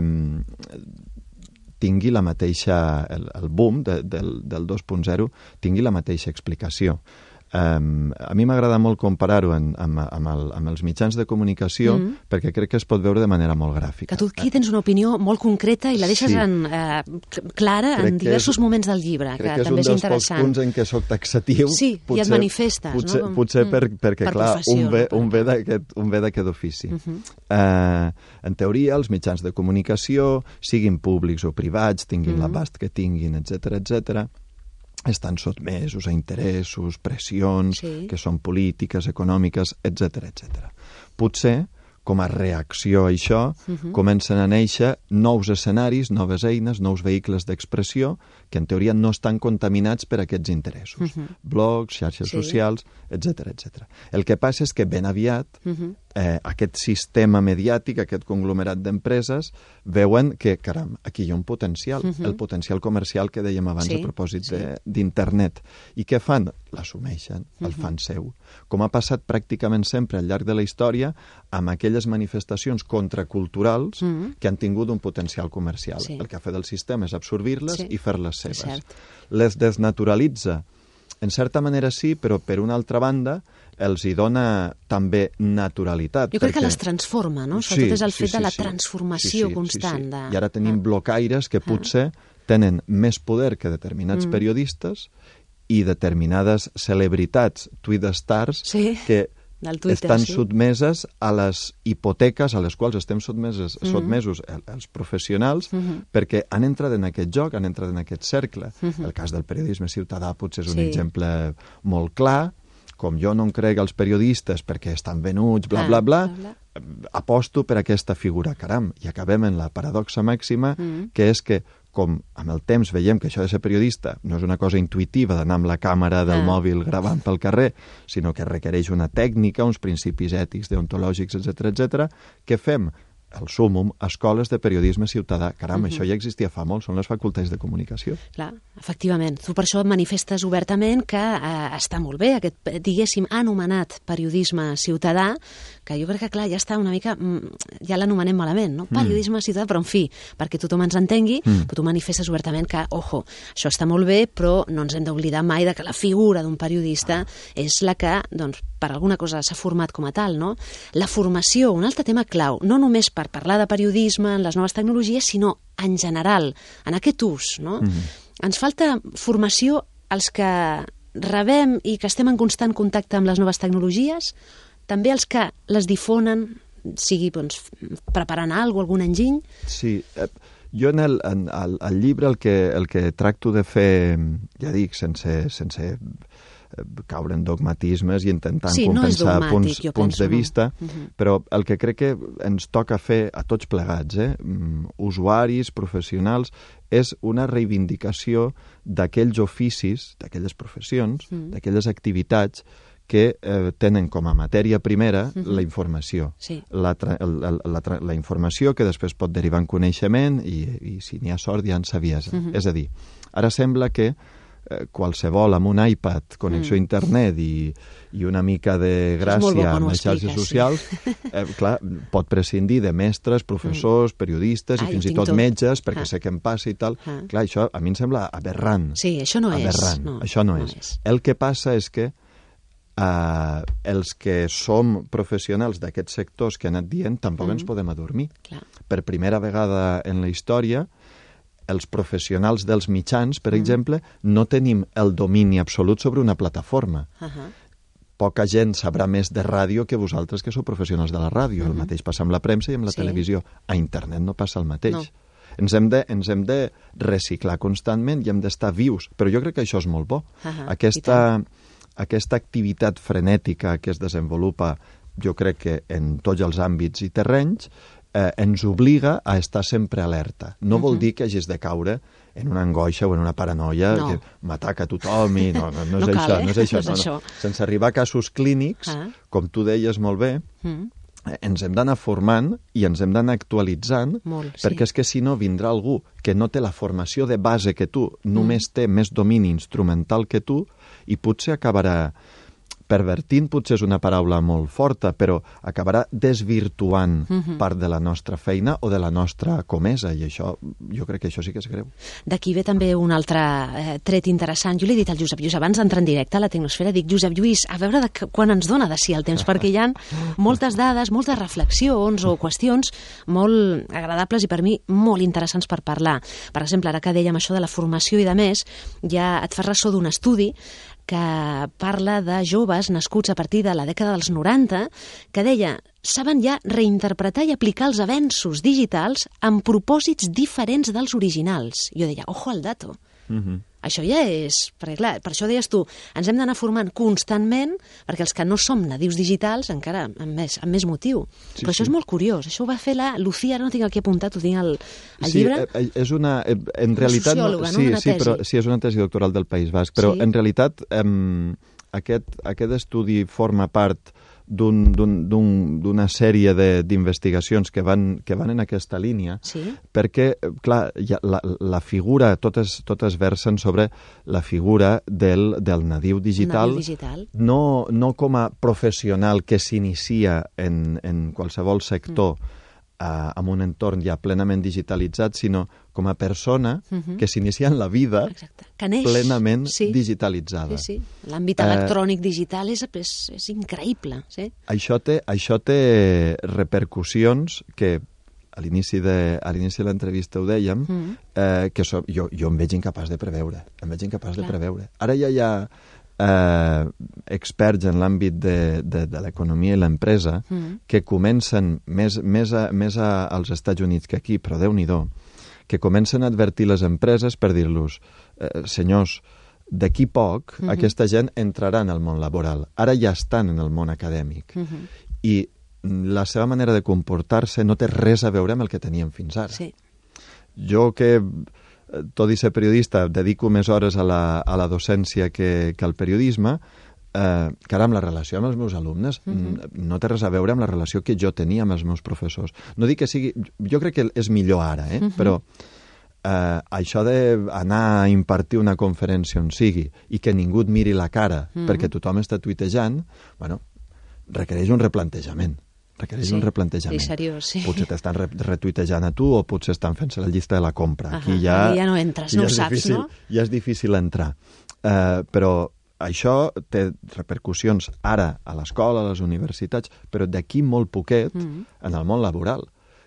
tingui la mateixa, el, el boom de, del, del dos punt zero tingui la mateixa explicació. Um, a mi m'agrada molt comparar-ho amb, amb, amb, el, amb els mitjans de comunicació Mhm. perquè crec que es pot veure de manera molt gràfica. Que tu aquí tens una opinió molt concreta i la deixes Sí. en, eh, clara Crec en que diversos és- moments del llibre, Crec que, que és també un és dels pocs interessant. punts en què soc taxatiu. Sí, i et manifestes, no? Potser, Com- potser, potser mm. per, perquè, Per clar, professió, un ve, no? un ve d'aquest un ve d'aquest ofici. Uh -huh. eh, en teoria, els mitjans de comunicació, siguin públics o privats, tinguin Mhm. l'abast que tinguin, etcètera, etcètera, estan sotmesos a interessos, pressions, Sí. que són polítiques, econòmiques, etcètera, etcètera. Potser, com a reacció a això, Mhm. comencen a néixer nous escenaris, noves eines, nous vehicles d'expressió, que en teoria no estan contaminats per aquests interessos. Mhm. Blogs, xarxes Sí. socials, etcètera, etcètera. El que passa és que ben aviat Mhm. eh, aquest sistema mediàtic, aquest conglomerat d'empreses, veuen que, caram, aquí hi ha un potencial, Mhm. el potencial comercial que dèiem abans Sí, a propòsit sí. de- d'internet. I què fan? L'assumeixen, el Mhm. fan seu. Com ha passat pràcticament sempre al llarg de la història amb aquelles manifestacions contraculturals Mhm. que han tingut un potencial comercial. Sí. El que ha fet el sistema és absorbir-les Sí, i fer-les és seves. cert. Les desnaturalitza. En certa manera sí, però per una altra banda els hi dona també naturalitat. Jo crec que perquè- les transforma, no? Sobretot és el fet de la sí. transformació Sí, sí, constant. sí, sí. De... I ara tenim Ah. blocaires que potser tenen més poder que determinats Mm. periodistes i determinades celebritats, tweet stars, Sí, que del Twitter, estan sí. sotmeses a les hipoteques a les quals estem sotmeses, Mhm. sotmesos el- els professionals Mhm. perquè han entrat en aquest joc, han entrat en aquest cercle. Mhm. El cas del periodisme ciutadà potser és un Sí. exemple molt clar, com jo no em crec els periodistes perquè estan venuts, bla, Ah, bla, bla, bla, bla. aposto per aquesta figura, caram, i acabem en la paradoxa màxima, Mhm. que és que com amb el temps veiem que això de ser periodista no és una cosa intuïtiva d'anar amb la càmera del Ah. mòbil gravant pel carrer, sinó que requereix una tècnica, uns principis ètics, deontològics, etcètera, etcètera, què fem? El súmum, escoles de periodisme ciutadà. Caram, Mhm. això ja existia fa molt, són les facultats de comunicació. Clar, efectivament. Tu per això manifestes obertament que eh, està molt bé aquest, eh, diguéssim, anomenat periodisme ciutadà, que jo crec que, clar, ja està una mica... mm, ja l'anomenem malament, no? Periodisme ciutadà, però en fi, perquè tothom ens entengui, Mm. però tu manifestes obertament que, ojo, això està molt bé, però no ens hem d'oblidar mai de que la figura d'un periodista és la que, doncs, per alguna cosa s'ha format com a tal, no? La formació, un altre tema clau, no només per parlar de periodisme en les noves tecnologies, sinó en general, en aquest ús, no? Mhm. Ens falta formació als que rebem i que estem en constant contacte amb les noves tecnologies, també els que les difonen, sigui doncs, preparant alguna cosa, algun enginy. Sí, eh, jo en el, en, el, el llibre el que, el que tracto de fer, ja dic, sense, sense caure en dogmatismes i intentant Sí, no és compensar dogmàtic, punts, jo punts penso, de no. vista, Mhm. però el que crec que ens toca fer a tots plegats, eh, mm, usuaris, professionals, és una reivindicació d'aquells oficis, d'aquelles professions, Mm. d'aquelles activitats que eh, tenen com a matèria primera Mhm. la informació. Sí. La, tra el, el, la, tra la informació que després pot derivar en coneixement i, i si n'hi ha sort ja en saviesa. Mhm. És a dir, ara sembla que eh, qualsevol amb un iPad, connexió Mm. a internet i, i una mica de Això és molt bo gràcia quan amb ho les xarxes expliques, socials, sí. eh, clar, pot prescindir de mestres, professors, periodistes Ah, i jo fins i tinc tot tot. metges, perquè Ah. sé què em passa i tal. Ah. Clar, això a mi em sembla aberrant. Sí, això no és. Aberrant. No, Això no, no és. és. El que passa és que eh, els que som professionals d'aquests sectors que he anat dient tampoc Mm. ens podem adormir. Clar. Per primera vegada en la història, els professionals dels mitjans, per Mm. exemple, no tenim el domini absolut sobre una plataforma. Uh -huh. Poca gent sabrà més de ràdio que vosaltres que sou professionals de la ràdio. Mhm. El mateix passa amb la premsa i amb la Sí. televisió. A internet no passa el mateix. No. Ens hem, de, ens hem de reciclar constantment i hem d'estar vius, però jo crec que això és molt bo. Ahà, Aquesta, aquesta activitat frenètica que es desenvolupa, jo crec que en tots els àmbits i terrenys, eh, ens obliga a estar sempre alerta. No Uh-huh. vol dir que hagis de caure en una angoixa o en una paranoia No. que m'ataca tothom i no, no, no és No cal, això, eh? no és això, No és no, això. no. Sense arribar a casos clínics, Ah. com tu deies molt bé, Mm. eh, ens hem d'anar formant i ens hem d'anar actualitzant, Molt, sí. perquè és que si no vindrà algú que no té la formació de base que tu, només té més domini instrumental que tu, i potser acabarà pervertint, potser és una paraula molt forta, però acabarà desvirtuant Mhm. part de la nostra feina o de la nostra comesa, i això, jo crec que això sí que és greu. D'aquí ve també un altre eh, tret interessant. Jo li he dit al Josep Lluís, abans d'entrar en directe a la Tecnosfera, dic, Josep Lluís, a veure de que, quan ens dona de si el temps, perquè hi ha moltes dades, moltes reflexions o qüestions molt agradables i per mi molt interessants per parlar. Per exemple, ara que dèiem això de la formació i de més, ja et fas ressò d'un estudi que parla de joves nascuts a partir de la dècada dels noranta, que deia, saben ja reinterpretar i aplicar els avenços digitals amb propòsits diferents dels originals. Jo deia, ojo al dato. Mhm. Això ja és... Perquè, clar, per això deies tu, ens hem d'anar formant constantment, perquè els que no som nadius digitals, encara amb més, amb més motiu. Sí, Però això sí. és molt curiós. Això ho va fer la Lucía, ara no tinc aquí apuntat, ho tinc al, al Sí, llibre. eh, és una... eh, En realitat... sociòloga, no? Sí, Una sí, tesi. però, sí, és una tesi doctoral del País Basc, però Sí. en realitat eh, aquest, aquest estudi forma part d'un- d'un- d'un- d'una sèrie de- d'investigacions que van, que van en aquesta línia, Sí. perquè, eh, clar, ja, la, la figura, totes, totes versen sobre la figura del, del nadiu digital, Nadiu digital. No, no com a professional que s'inicia en, en qualsevol sector mm. eh, amb un entorn ja plenament digitalitzat, sinó com a persona Mhm. que s'inicia en la vida Exacte. Que neix. plenament Sí. digitalitzada. Sí, sí. L'àmbit Eh, electrònic digital és, és, és increïble. Sí? Això té, això té repercussions que a l'inici de, a l'inici de l'entrevista ho dèiem, Mm. eh, que so, jo, jo em veig incapaç de preveure. Em veig incapaç Clar. de preveure. Ara ja hi ha eh, experts en l'àmbit de, de, de l'economia i l'empresa Mm. que comencen, més, més, a, més a, als Estats Units que aquí, però Déu-n'hi-do, que comencen a advertir les empreses per dir-los, eh, senyors, d'aquí poc Mhm. aquesta gent entrarà en el món laboral. Ara ja estan en el món acadèmic. Mhm. I la seva manera de comportar-se no té res a veure amb el que teníem fins ara. Sí. Jo que, eh, tot i ser periodista, dedico més hores a la, a la docència que, que al periodisme, eh, caram, la relació amb els meus alumnes Mhm. no té res a veure amb la relació que jo tenia amb els meus professors. No dic que sigui... Jo crec que és millor ara, eh? Mhm. Però eh, això d'anar a impartir una conferència on sigui i que ningú et miri la cara Mhm. perquè tothom està tuitejant, bueno, requereix un replantejament. Requereix Sí, un replantejament. sí, seriós, sí. Potser t'estan re retuitejant a tu o potser estan fent-se la llista de la compra. Aquí Ahà, ja, aquí ja no entres, aquí no ja ho és saps, difícil, no? Ja és difícil entrar. Uh, però això té repercussions ara a l'escola, a les universitats, però d'aquí molt poquet Mhm. en el món laboral.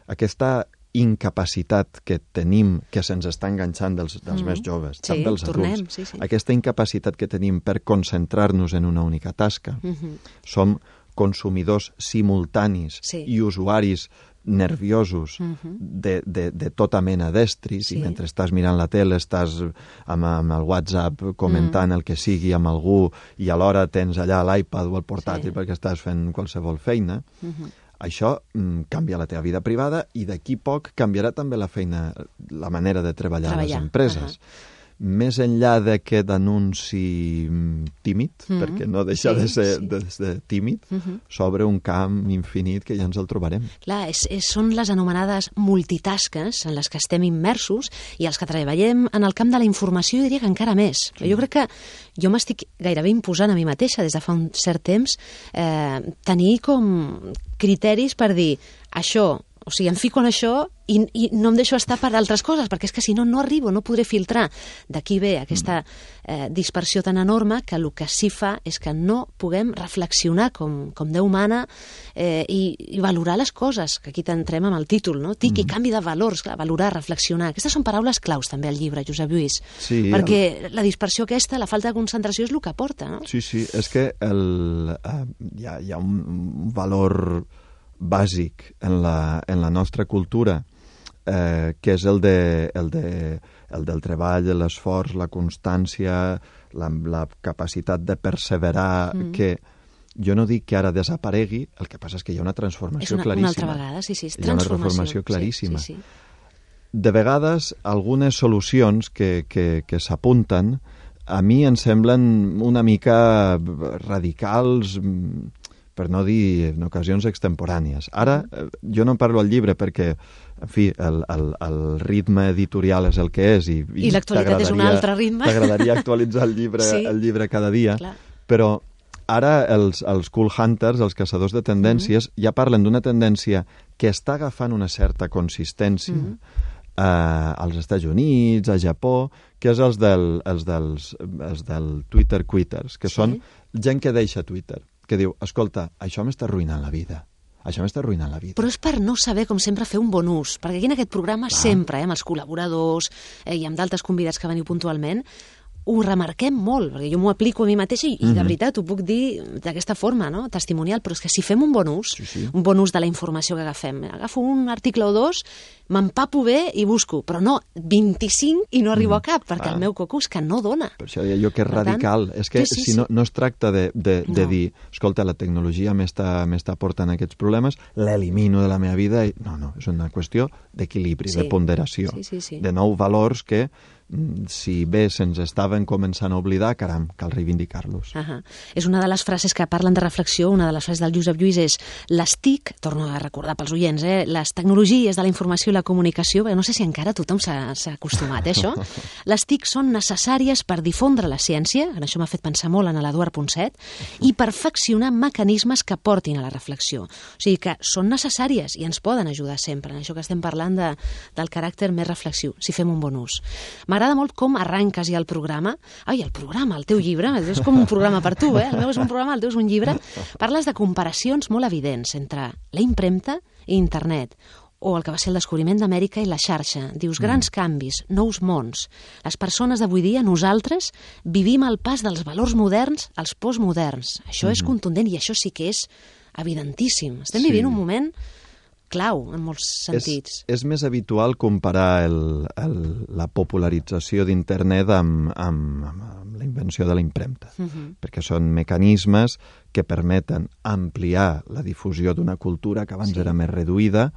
Aquesta incapacitat que tenim, que se'ns està enganxant dels, dels Mhm. més joves, Sí, també dels tornem, adults, sí, sí. aquesta incapacitat que tenim per concentrar-nos en una única tasca, Mhm. som consumidors simultanis Sí. i usuaris nerviosos Mhm. de, de, de tota mena d'estris, Sí. i mentre estàs mirant la tele estàs amb, amb el WhatsApp comentant Mm. el que sigui amb algú i alhora tens allà l'iPad o el portàtil Sí. perquè estàs fent qualsevol feina. Mhm. Això mm, canvia la teva vida privada i d'aquí poc canviarà també la feina, la manera de treballar, a les Treballar, empreses. Més enllà d'aquest anunci mm, tímid, Mhm. perquè no deixa Sí, de, ser, sí. de ser tímid, Mhm. s'obre un camp infinit que ja ens el trobarem. Clar, és, és, són les anomenades multitasques en les que estem immersos i els que treballem en el camp de la informació, jo diria que encara més. Sí. Jo crec que jo m'estic gairebé imposant a mi mateixa des de fa un cert temps eh, tenir com criteris per dir això, o sigui, em fico en això i, i no em deixo estar per altres coses, perquè és que si no, no arribo, no podré filtrar. D'aquí ve aquesta eh, dispersió tan enorme que el que sí fa és que no puguem reflexionar com, com Déu mana eh, i, i valorar les coses, que aquí t'entrem amb el títol, no? Tic i canvi de valors, clar, valorar, reflexionar. Aquestes són paraules claus també al llibre, Josep Lluís, Sí, perquè la dispersió aquesta, la falta de concentració és el que porta, no? Sí, sí, és que el, uh, hi, ha, hi ha un, un valor bàsic en la, en la nostra cultura eh, que és el, de, el, de, el del treball, l'esforç, la constància, la, la capacitat de perseverar, mm. que Jo no dic que ara desaparegui, el que passa és que hi ha una transformació és una, claríssima. Una altra vegada, sí, sí, és hi ha una transformació claríssima. Sí, sí, sí. De vegades, algunes solucions que, que, que s'apunten a mi em semblen una mica radicals, per no dir en ocasions extemporànies. Ara, jo no parlo al llibre perquè, en fi, el, el, el ritme editorial és el que és i, i, I l'actualitat és un altre ritme. T'agradaria actualitzar el llibre, sí. el llibre cada dia, clar. Però ara els, els cool hunters, els caçadors de tendències, mm-hmm. ja parlen d'una tendència que està agafant una certa consistència mm-hmm. eh, als Estats Units, a Japó, que és els del, els dels, els del Twitter quitters, que sí. són gent que deixa Twitter, que diu, escolta, això m'està arruïnant la vida. Això m'està arruïnant la vida. Però és per no saber, com sempre, fer un bon ús. Perquè aquí en aquest programa ah. sempre, eh, amb els col·laboradors eh, i amb d'altres convidats que veniu puntualment, ho remarquem molt, perquè jo m'ho aplico a mi mateixa i, mm-hmm. i de veritat ho puc dir d'aquesta forma, no? Testimonial, però és que si fem un bon ús, sí, sí. un bon ús de la informació que agafem, agafo un article o dos, m'empapo bé i busco, però no vint-i-cinc i no arribo mm. a cap, perquè ah. el meu coco és que no dona. Per això deia jo que és per radical. Tant, és que sí, sí, si no, no es tracta de, de, de no. dir, escolta, la tecnologia m'està portant aquests problemes, l'elimino de la meva vida. I... No, no, és una qüestió d'equilibri, sí. de ponderació, sí, sí, sí. de nou valors que si bé se'ns estaven començant a oblidar, caram, cal reivindicar-los. Uh -huh. És una de les frases que parlen de reflexió, una de les frases del Josep Lluís és les T I C, torno a recordar pels oients, eh, les tecnologies de la informació i la comunicació, perquè no sé si encara tothom s'ha acostumat a això, les T I C són necessàries per difondre la ciència, en això m'ha fet pensar molt en l'Eduard Ponset, i perfeccionar mecanismes que portin a la reflexió. O sigui que són necessàries i ens poden ajudar sempre, en això que estem parlant de, del caràcter més reflexiu, si fem un bon ús. M'agrada molt com arranques ja el programa. Ai, el programa, el teu llibre, és com un programa per tu, eh? El meu és un programa, el teu és un llibre. Parles de comparacions molt evidents entre la impremta i internet, o el que va ser el descobriment d'Amèrica i la xarxa. Dius, grans canvis, nous mons. Les persones d'avui dia, nosaltres, vivim al pas dels valors moderns als postmoderns. Això és contundent i això sí que és evidentíssim. Estem vivint un moment clau, en molts sentits. És, és més habitual comparar el, el, la popularització d'internet amb, amb, amb la invenció de la impremta, uh-huh. perquè són mecanismes que permeten ampliar la difusió d'una cultura que abans sí. era més reduïda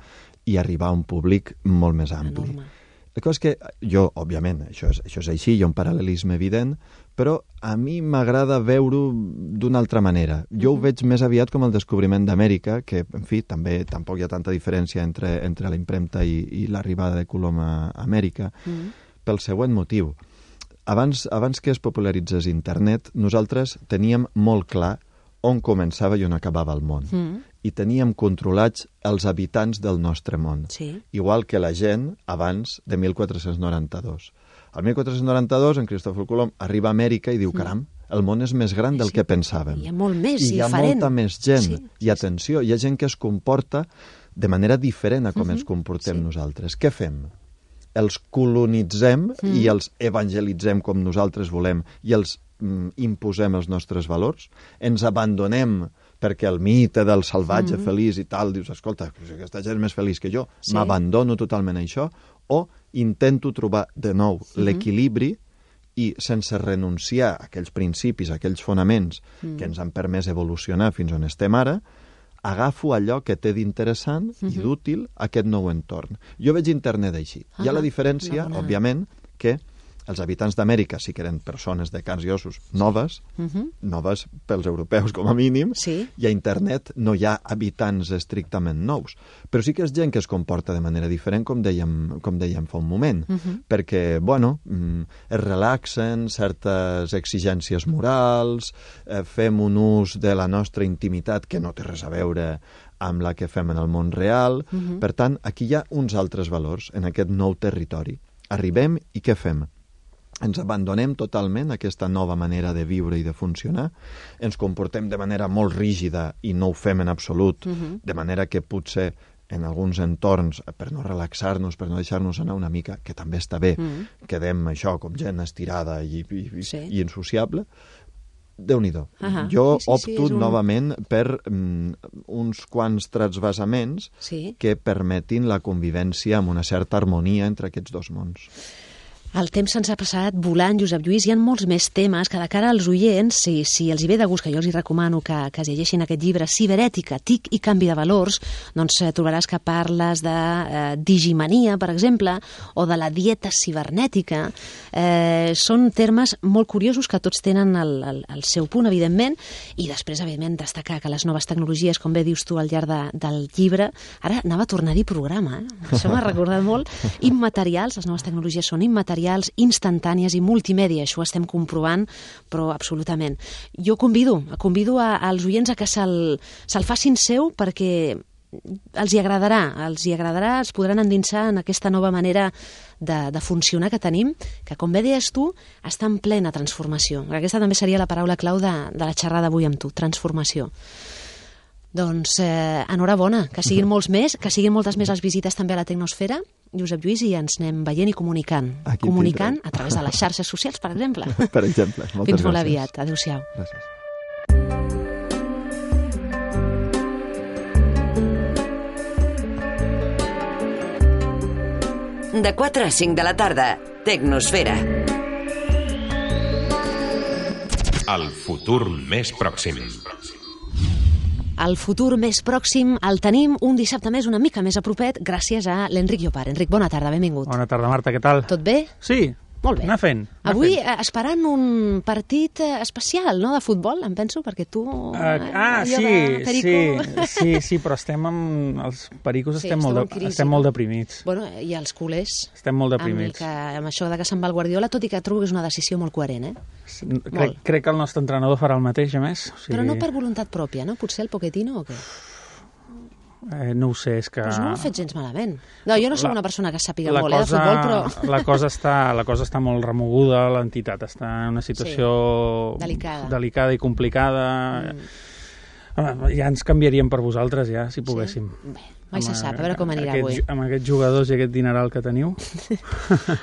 i arribar a un públic molt més ampli. Enorme. La cosa és que jo, òbviament, això és, això és així, hi ha un paral·lelisme evident, però a mi m'agrada veure-ho d'una altra manera. Jo uh-huh. ho veig més aviat com el descobriment d'Amèrica, que, en fi, també tampoc hi ha tanta diferència entre, entre la impremta i, i l'arribada de Colom a Amèrica, uh-huh. pel següent motiu. Abans, abans que es popularitzés internet, nosaltres teníem molt clar on començava i on acabava el món. Uh-huh. I teníem controlats els habitants del nostre món. Sí. Igual que la gent abans de mil quatre-cents noranta-dos. El mil quatre-cents noranta-dos, en Cristòfor Colom arriba a Amèrica i diu, caram, el món és més gran del sí, que pensàvem. Hi ha molt més, I hi ha diferent. molta més gent. Sí, sí, I atenció, hi ha gent que es comporta de manera diferent a com uh-huh. ens comportem sí. nosaltres. Què fem? Els colonitzem uh-huh. i els evangelitzem com nosaltres volem i els mm, imposem els nostres valors? Ens abandonem perquè el mite del salvatge uh-huh. feliç i tal, dius, escolta, aquesta gent és més feliç que jo, sí. m'abandono totalment a això, o intento trobar de nou uh-huh. l'equilibri i sense renunciar a aquells principis, a aquells fonaments uh-huh. que ens han permès evolucionar fins on estem ara, agafo allò que té d'interessant uh-huh. i d'útil a aquest nou entorn. Jo veig internet així. Uh-huh. Hi ha la diferència, no, no. òbviament, que els habitants d'Amèrica sí que eren persones de carns i ossos noves, uh-huh. noves pels europeus com a mínim, sí. i a internet no hi ha habitants estrictament nous. Però sí que és gent que es comporta de manera diferent, com dèiem, com dèiem fa un moment, uh-huh. perquè, bueno, es relaxen certes exigències morals, eh, fem un ús de la nostra intimitat que no té res a veure amb la que fem en el món real. Uh-huh. Per tant, aquí hi ha uns altres valors en aquest nou territori. Arribem i què fem? Ens abandonem totalment a aquesta nova manera de viure i de funcionar, ens comportem de manera molt rígida i no ho fem en absolut, uh-huh. de manera que potser en alguns entorns, per no relaxar-nos, per no deixar-nos anar una mica, que també està bé, uh-huh. quedem això com gent estirada i, i, sí. i insociable, Déu-n'hi-do. Uh-huh. Jo sí, sí, opto sí, un... novament per um, uns quants transvasaments sí. que permetin la convivència amb una certa harmonia entre aquests dos mons. El temps se'ns ha passat volant, Josep Lluís. Hi ha molts més temes que de cara als oients, si, si els hi ve de gust, que jo els hi recomano que, que es llegeixin aquest llibre, Ciberètica, T I C i canvi de valors, doncs eh, trobaràs que parles de eh, digimania, per exemple, o de la dieta cibernètica. Eh, són termes molt curiosos que tots tenen el, el, el seu punt, evidentment, i després, evidentment, destacar que les noves tecnologies, com bé dius tu al llarg de, del llibre, ara anava a tornar-hi programa, eh? Això m'ha recordat molt, immaterials, les noves tecnologies són immaterials, instantànies i multimèdia, això ho estem comprovant, però absolutament. Jo convido, convido a, als oients a que se'l se facin seu perquè els hi agradarà, els hi agradarà, els podran endinsar en aquesta nova manera de, de funcionar que tenim, que com bé deies tu, està en plena transformació. Aquesta també seria la paraula clau de, de la xerrada avui amb tu, transformació. Doncs eh, enhorabona, que siguin molts més, que siguin moltes més les visites també a la Tecnosfera, Josep Lluís, i ens anem veient i comunicant. Aquí comunicant tindrem. A través de les xarxes socials, per exemple. Per exemple. Moltes Fins molt gràcies. aviat. Adéu-siau. Gràcies. De quatre a cinc de la tarda, Tecnosfera. El futur més pròxim. El futur més pròxim el tenim un dissabte més, una mica més a propet, gràcies a l'Enric Llopart. Enric, bona tarda, benvingut. Bona tarda, Marta, què tal? Tot bé? Sí. Molt bé. Anar fent. Anar Avui fent. esperant un partit especial, no?, de futbol, em penso, perquè tu... Uh, ah, sí, sí, sí, sí, però estem amb... Els pericos sí, estem, molt, de, crisi, estem no? molt deprimits. Bueno, i els culers... Estem molt deprimits. Amb, que, amb això de que se'n va el Guardiola, tot i que trobo que és una decisió molt coherent, eh? Crec, crec que el nostre entrenador farà el mateix, a més. O sigui... Però no per voluntat pròpia, no? Potser el Pochettino o què? Eh, no ho sé, és que... Pues no ho ha fet gens malament. No, jo no soc la, una persona que sàpiga molt cosa, eh, de futbol, però... La cosa, està, la cosa està molt remoguda, l'entitat està en una situació sí, delicada. delicada i complicada. Mm. Ja ens canviaríem per vosaltres, ja, si poguéssim. Sí? Bé, mai se sap, a veure com anirà aquest, avui. Amb aquests jugadors i aquest dineral que teniu.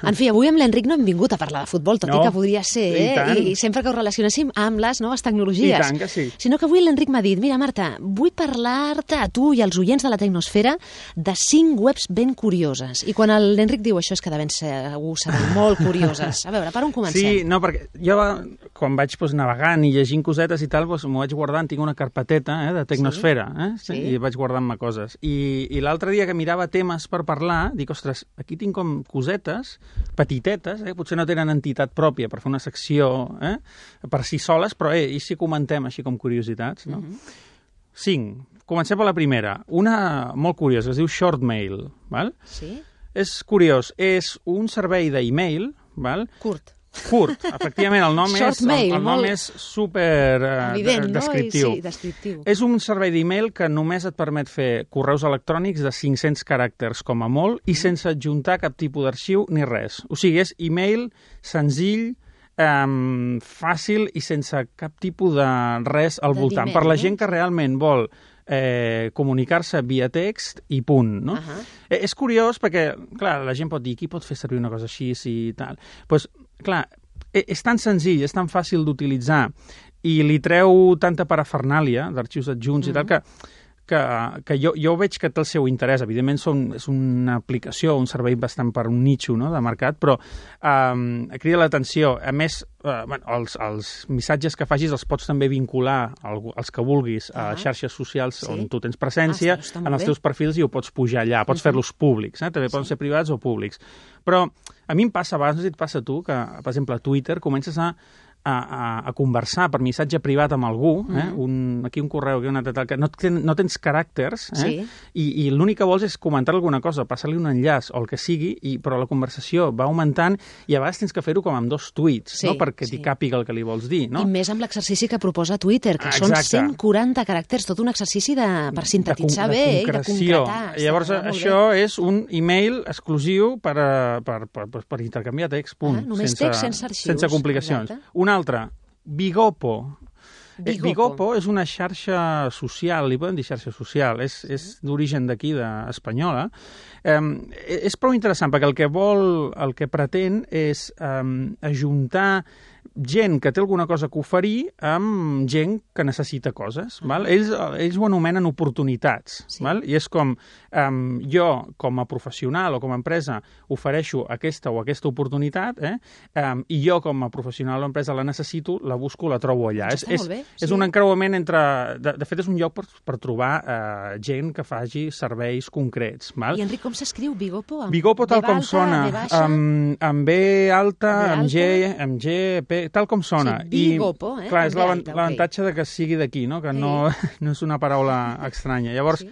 En fi, avui amb l'Enric no hem vingut a parlar de futbol, tot no, i que podria ser, eh? I, I sempre que ho relacionéssim amb les noves tecnologies. I tant que sí. Sinó que avui l'Enric m'ha dit, mira, Marta, vull parlar-te a tu i als oients de la Tecnosfera de cinc webs ben curioses. I quan l'Enric diu això és que de ben segur seran molt curioses. A veure, per on comencem? Sí, no, perquè jo quan vaig doncs, navegant i llegint cosetes i tal, doncs, m'ho vaig guardant, tinc una carpeteta eh, de Tecnosfera, eh? Sí? Sí. I vaig guardant-me coses. I I l'altre dia que mirava temes per parlar, dic, ostres, aquí tinc com cosetes petitetes, eh? Potser no tenen entitat pròpia per fer una secció eh? per si soles, però eh, i si comentem així com curiositats, no? Uh-huh. Cinc. Comencem per la primera. Una molt curiosa, es diu Shortmail, val? Sí? És curiós, és un servei d'e-mail, val? Curt. Curt, efectivament, el nom, és, mail, el, el nom molt... és super eh, evident, descriptiu. No? I, sí, descriptiu. És un servei d'e-mail que només et permet fer correus electrònics de cinc-cents caràcters com a molt i sense adjuntar cap tipus d'arxiu ni res. O sigui, és e-mail senzill, um, fàcil i sense cap tipus de res al de voltant. Per la gent que realment vol eh, comunicar-se via text i punt, no? Uh-huh. Eh, és curiós perquè, clar, la gent pot dir qui pot fer servir una cosa així i tal. Doncs, pues, clar, és tan senzill, és tan fàcil d'utilitzar i li treu tanta parafernàlia d'arxius adjunts mm-hmm. i tal que, que, que jo, jo veig que té el seu interès. Evidentment són, és una aplicació, un servei bastant per un nicho no, de mercat, però um, crida l'atenció. A més, uh, bueno, els, els missatges que facis els pots també vincular als que vulguis a uh-huh. xarxes socials sí. on tu tens presència, ah, en els teus perfils i ho pots pujar allà, pots uh-huh. fer-los públics, eh? també poden sí. ser privats o públics. Però a mi em passa, a vegades no sé si et passa a tu, que, per exemple, a Twitter comences a, a, a conversar per missatge privat amb algú, eh? mm. un, aquí un correu, aquí una tal, que no, ten, no tens caràcters, eh? sí. I, i l'únic que vols és comentar alguna cosa, passar-li un enllaç o el que sigui, i, però la conversació va augmentant i a vegades tens que fer-ho com amb dos tuits, sí, no? perquè sí. t'hi càpiga el que li vols dir. No? I més amb l'exercici que proposa Twitter, que Exacte. són cent quaranta caràcters, tot un exercici de, per sintetitzar de, de bé i de concretar. Llavors, això bé. és un e-mail exclusiu per, per, per, per, per intercanviar text, punt. Ah, només sense, text, sense arxius. Sense complicacions. Exacte. Un altre, Bigopo. Bigopo. Bigopo és una xarxa social, li poden dir xarxa social, és, és d'origen d'aquí, d'espanyola. Um, és prou interessant, perquè el que vol, el que pretén és um, ajuntar gent que té alguna cosa que oferir amb gent que necessita coses. Uh -huh. val? Ells, ells ho anomenen oportunitats. Sí. Val? I és com um, jo, com a professional o com a empresa, ofereixo aquesta o aquesta oportunitat eh? um, i jo, com a professional o empresa, la necessito, la busco, la trobo allà. És, és, bé, sí. és un encreuament entre... De, de fet, és un lloc per, per trobar uh, gent que faci serveis concrets. Val? I, Enric, com s'escriu Bigopo? Amb Bigopo, tal com alta, sona. Amb, amb B alta, amb G, amb G, P, tal com sona. Sí, Bigopo, eh? Clar, és l'avantatge okay. de que sigui d'aquí, no? Que sí. no, no és una paraula estranya. Llavors, sí.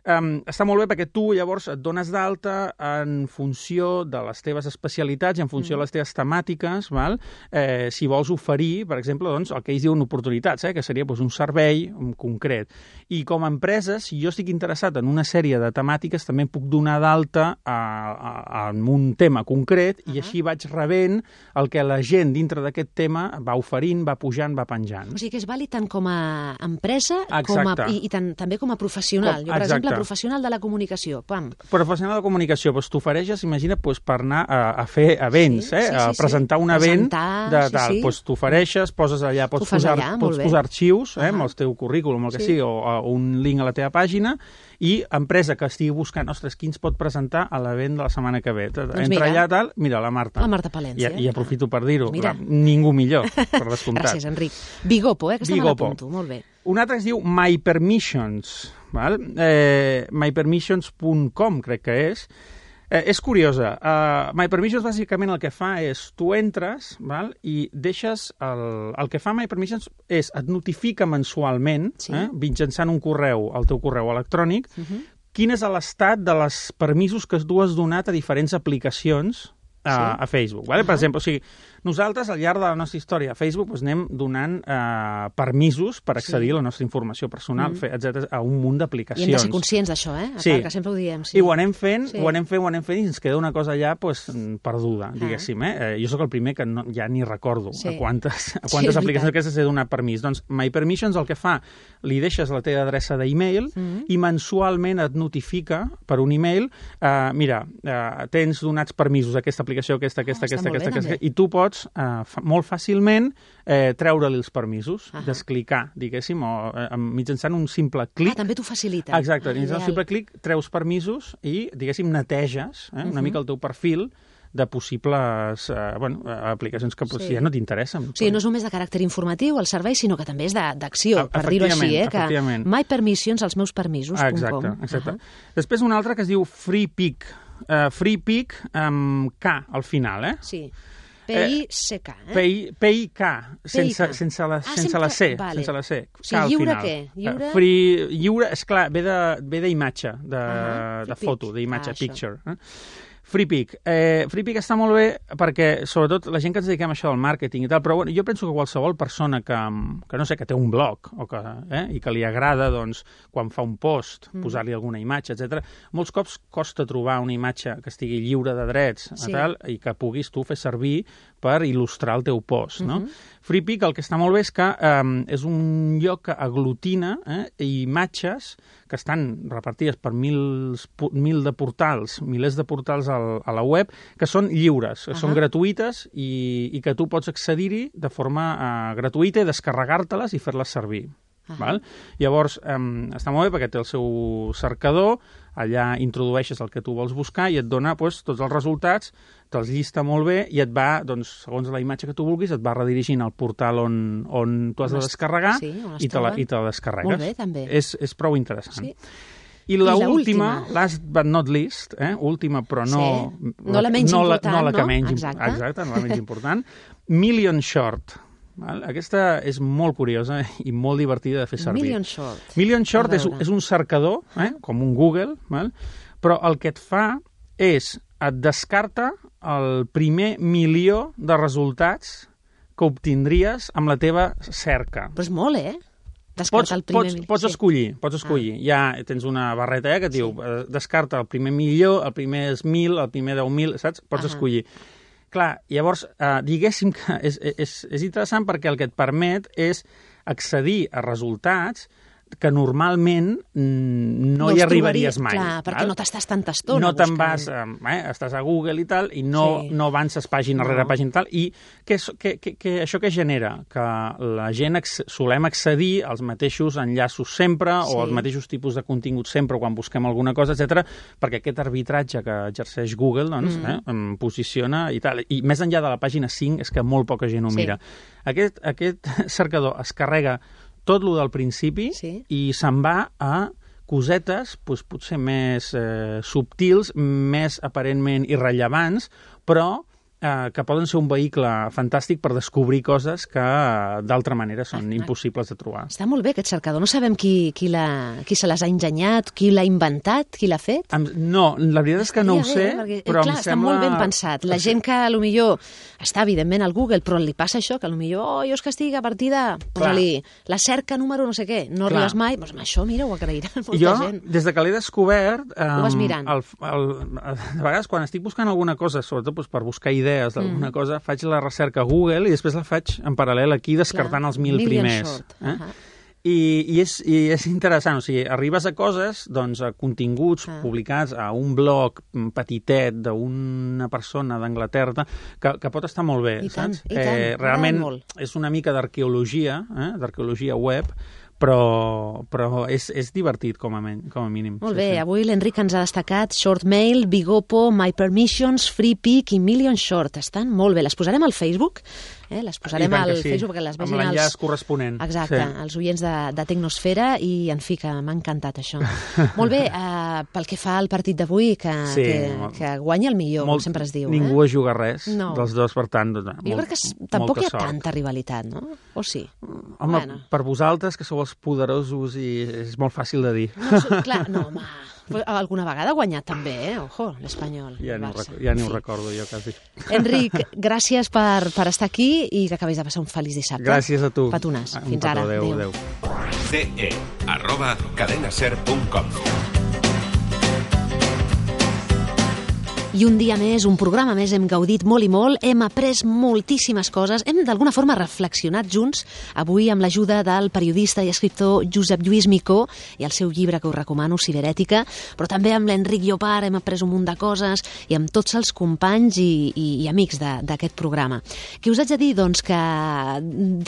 Um, està molt bé perquè tu llavors et dones d'alta en funció de les teves especialitats i en funció mm. de les teves temàtiques, val? Eh, si vols oferir, per exemple, doncs, el que ells diuen oportunitats, eh, que seria doncs, un servei en concret. I com a empresa, si jo estic interessat en una sèrie de temàtiques, també em puc donar d'alta en un tema concret uh -huh. i així vaig rebent el que la gent dintre d'aquest tema va oferint, va pujant, va penjant. O sigui que és vàlid tant com a empresa com a, i, i tant, també com a professional. Com, jo, per exacte. exemple, professional de la comunicació, pam. Professional de la comunicació, doncs t'ofereixes, imagina't, doncs, per anar a, a fer events, sí, eh? Sí, sí, a presentar sí. un event, presentar, de, de, sí, sí. doncs t'ofereixes, poses allà, pots posar, allà, pots posar arxius, eh? Uh -huh. amb el teu currículum, el que sí. sigui, o, o un link a la teva pàgina, i empresa que estigui buscant, ostres, qui ens pot presentar a l'event de la setmana que ve? Doncs entra mira, allà, tal, mira, la Marta. La Marta Palència. I, i aprofito per dir-ho, ningú millor, per descomptat. Gràcies, Enric. Bigopo, eh, que estem a l'apunto, molt bé. Un altre es diu My Permissions, val? Eh, my permissions punt com, crec que és. Eh, és curiosa. Uh, My Permissions, bàsicament, el que fa és, tu entres, val? I deixes... El, el que fa My Permissions és, et notifica mensualment, sí. eh, mitjançant un correu, el teu correu electrònic, uh -huh. quin és l'estat de les permisos que tu has donat a diferents aplicacions a, sí. a Facebook. Vale? Uh -huh. Per exemple, o sigui, nosaltres, al llarg de la nostra història a Facebook, doncs, anem donant eh, permisos per accedir sí. a la nostra informació personal, mm. etcètera, a un munt d'aplicacions. I hem de ser conscients d'això, eh? A sí. part, que sempre ho diem. Sí. I ho anem fent, sí. ho anem fent, ho anem fent, i ens queda una cosa allà pues, perduda, ah. diguéssim. Eh? Eh, jo sóc el primer que no, ja ni recordo sí. a quantes, a quantes sí, aplicacions aquestes he donat permís. Doncs My Permissions el que fa, li deixes la teva adreça d'e-mail mm. i mensualment et notifica per un e-mail, eh, mira, eh, tens donats permisos a aquesta aplicació, aquesta, aquesta, oh, aquesta, aquesta, bé, aquesta, i tu pots Uh, fa, molt fàcilment eh, treure-li els permisos, uh -huh. desclicar, diguéssim, o eh, mitjançant un simple clic. Ah, també t'ho facilita. Exacte, mitjançant un simple clic treus permisos i, diguéssim, neteges eh, uh -huh. una mica el teu perfil de possibles eh, bueno, aplicacions que sí. ja no t'interessen. O sigui, no és només de caràcter informatiu el servei, sinó que també és d'acció, per dir-ho així, eh? Que My Permissions, els meus permisos. Ah, exacte, exacte. Uh -huh. Després un altre que es diu FreePic. Uh, FreePic amb K al final, eh? Sí. P I C K, eh? P I K, sense, sense, la, ah, sense sempre... la C. Vale. Sense la C. O sigui, lliure què? Lliure... Free, lliure, esclar, ve d'imatge, de, de, uh -huh. de foto, d'imatge, ah, picture. Eh? FreePic. Eh, FreePic està molt bé perquè, sobretot, la gent que ens dediquem a això del màrqueting i tal, però bueno, jo penso que qualsevol persona que, que no sé, que té un blog o que, eh, i que li agrada, doncs, quan fa un post, mm. posar-li alguna imatge, etcètera, molts cops costa trobar una imatge que estigui lliure de drets sí. tal, i que puguis tu fer servir per il·lustrar el teu post, no? Mm-hmm. FreePic el que està molt bé és que eh, és un lloc que aglutina eh, imatges que estan repartides per mil, mil de portals, milers de portals al, a la web, que són lliures, que uh -huh. són gratuïtes i, i que tu pots accedir-hi de forma uh, gratuïta i descarregar-te-les i fer-les servir. Uh -huh. Val? Llavors, um, està molt bé perquè té el seu cercador, allà introdueixes el que tu vols buscar i et dona doncs, tots els resultats, te'ls llista molt bé i et va, doncs, segons la imatge que tu vulguis, et va redirigint al portal on, on tu has de descarregar sí, i, te la, i te la descarregues. Molt bé, també. És, és prou interessant. Sí. I l'última, last but not least, eh, última però no... Sí. No la menys no important, la, no? La que no? menys, Exacte. Exacte, no la menys important. Million Short. Val? Aquesta és molt curiosa i molt divertida de fer servir. Million Short. Million Short és, és un cercador, eh, com un Google, val? Però el que et fa és, et descarta el primer milió de resultats que obtindries amb la teva cerca. Però és molt, eh? Pots, pots, pots escollir, pots escollir. Ah. Ja tens una barreta eh, que et diu sí. eh, descarta el primer milió, el primer és mil, el primer deu mil, saps? Pots ah. escollir. Clar, llavors, eh, diguéssim que és, és, és interessant perquè el que et permet és accedir a resultats que normalment no, no hi arribaries mai. Clar, perquè val? No t'estàs tanta estona no buscant. No te'n vas, eh, estàs a Google i tal, i no, sí. no avances pàgina no. rere pàgina i tal, i que, que, que, que això què genera? Que la gent solem accedir als mateixos enllaços sempre, sí. o als mateixos tipus de contingut sempre quan busquem alguna cosa, etcètera, perquè aquest arbitratge que exerceix Google, doncs, mm. eh, em posiciona i tal. I més enllà de la pàgina cinc és que molt poca gent ho sí. mira. Aquest, aquest cercador es carrega tot lo del principi sí. i se'n va a cosetes doncs, potser més eh, subtils, més aparentment irrellevants, però eh, que poden ser un vehicle fantàstic per descobrir coses que eh, d'altra manera són ah, impossibles de trobar. Està molt bé aquest cercador. No sabem qui, qui, la, qui se les ha engenyat, qui l'ha inventat, qui l'ha fet? Em, no, la veritat és que no ho sé, perquè, però clar, em està sembla... molt ben pensat. La gent que potser està, evidentment, al Google, però li passa això, que potser, oh, jo és que estic a partir de... Posa-li la cerca número no sé què, no clar. Arribes mai, doncs amb això, mira, ho agrairà molta jo, gent. Jo, des de que l'he descobert... Um, ho vas mirant. El, el, a vegades, quan estic buscant alguna cosa, sobretot doncs, per buscar idees d'alguna mm. cosa, faig la recerca a Google i després la faig en paral·lel aquí descartant clar. Els mil Million primers. Short. Eh? Uh-huh. I, i, és, I és interessant, o sigui, arribes a coses, doncs, a continguts ah. publicats a un blog petitet d'una persona d'Anglaterra que, que pot estar molt bé, I saps? Tant, i tant. Eh, realment és una mica d'arqueologia, eh? d'arqueologia web, però, però és, és divertit com a, men, com a mínim. Molt bé, sí, sí. Avui l'Enric ens ha destacat Shortmail, Bigopo, My Permissions, FreePic i Million Short. Estan molt bé. Les posarem al Facebook, eh? les posarem al sí. Facebook perquè les vegin amb l'enllaç els... corresponent. Exacte, sí. els oients de, de Tecnosfera i, en fi, que m'ha encantat això. Molt bé, eh, pel que fa al partit d'avui, que, sí, que, molt... que guanya el millor, molt... com sempre es diu. Ningú eh? es juga res no. dels dos, per tant, doncs, jo molt, crec que tampoc hi ha sort. Tanta rivalitat, no? O sí? Home, bueno. per vosaltres, que sou els poderosos, i és molt fàcil de dir. No, clar, no, home, alguna vegada ha guanyat també, eh? Ojo, l'Espanyol. Ja ni, ho, ja ni ho recordo jo, quasi. Enric, gràcies per, per estar aquí i que acabis de passar un feliç dissabte. Gràcies a tu. Petonàs. Un Fins petó, ara. Adéu, adéu. ce e arroba cadenaser punt com. I un dia més, un programa més, hem gaudit molt i molt, hem après moltíssimes coses, hem d'alguna forma reflexionat junts, avui amb l'ajuda del periodista i escriptor Josep Lluís Micó i el seu llibre que us recomano, Ciberètica, però també amb l'Enric Llopart hem après un munt de coses i amb tots els companys i, i, i amics d'aquest programa. Què us haig de dir? Doncs que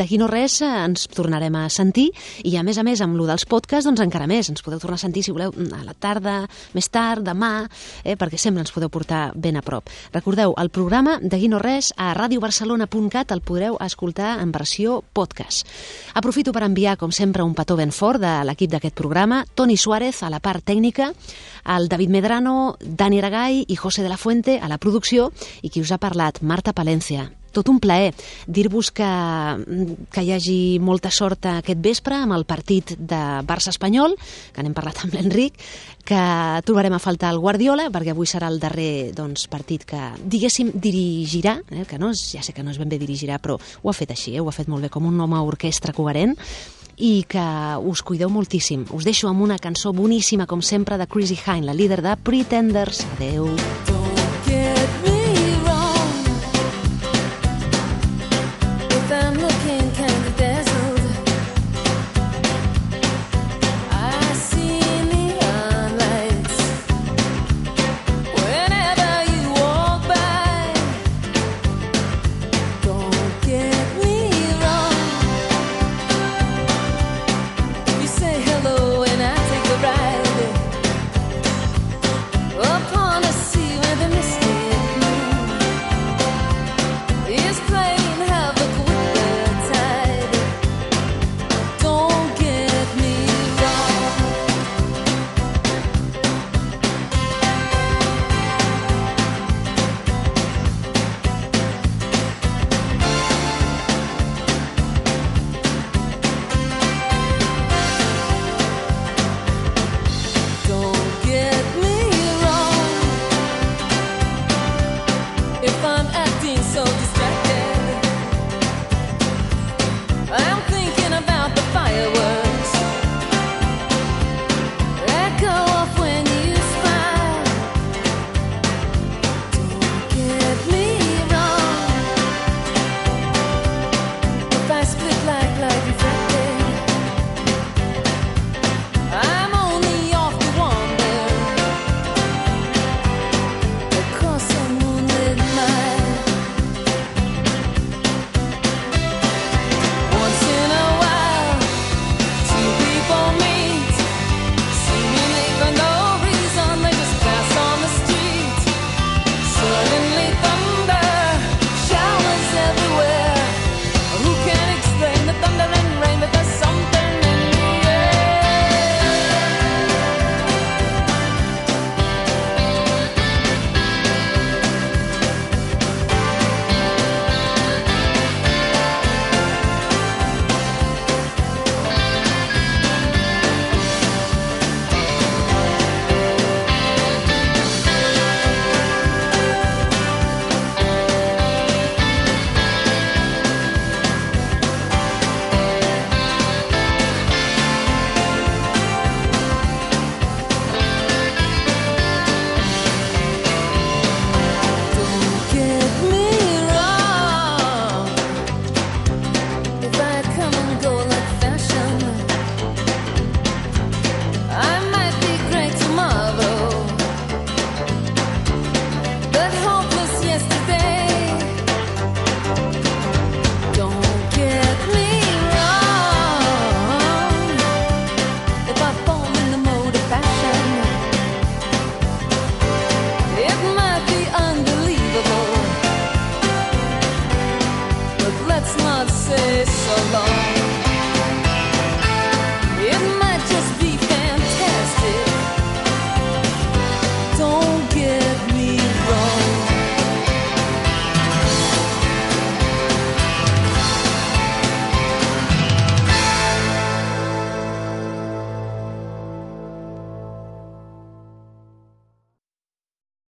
d'aquí no res ens tornarem a sentir i a més a més amb lo dels podcasts doncs encara més, ens podeu tornar a sentir si voleu a la tarda, més tard, demà, eh, perquè sempre ens podeu portar ben a prop. Recordeu, el programa D'aquí no res a radio barcelona punt cat el podreu escoltar en versió podcast. Aprofito per enviar, com sempre, un petó ben fort de l'equip d'aquest programa, Toni Suárez a la part tècnica, el David Medrano, Dani Aragay i José de la Fuente a la producció i qui us ha parlat, Marta Palencia. Tot un plaer dir-vos que, que hi hagi molta sort aquest vespre amb el partit de Barça-Espanyol, que n'hem parlat amb l'Enric, que trobarem a faltar el Guardiola, perquè avui serà el darrer doncs, partit que, diguéssim, dirigirà, eh, que no és, ja sé que no és ben bé dirigirà, però ho ha fet així, eh, ho ha fet molt bé, com un home orquestra coherent, i que us cuideu moltíssim. Us deixo amb una cançó boníssima, com sempre, de Chrissy Hynde, la líder de Pretenders. Adeu. Upon a sea when so long.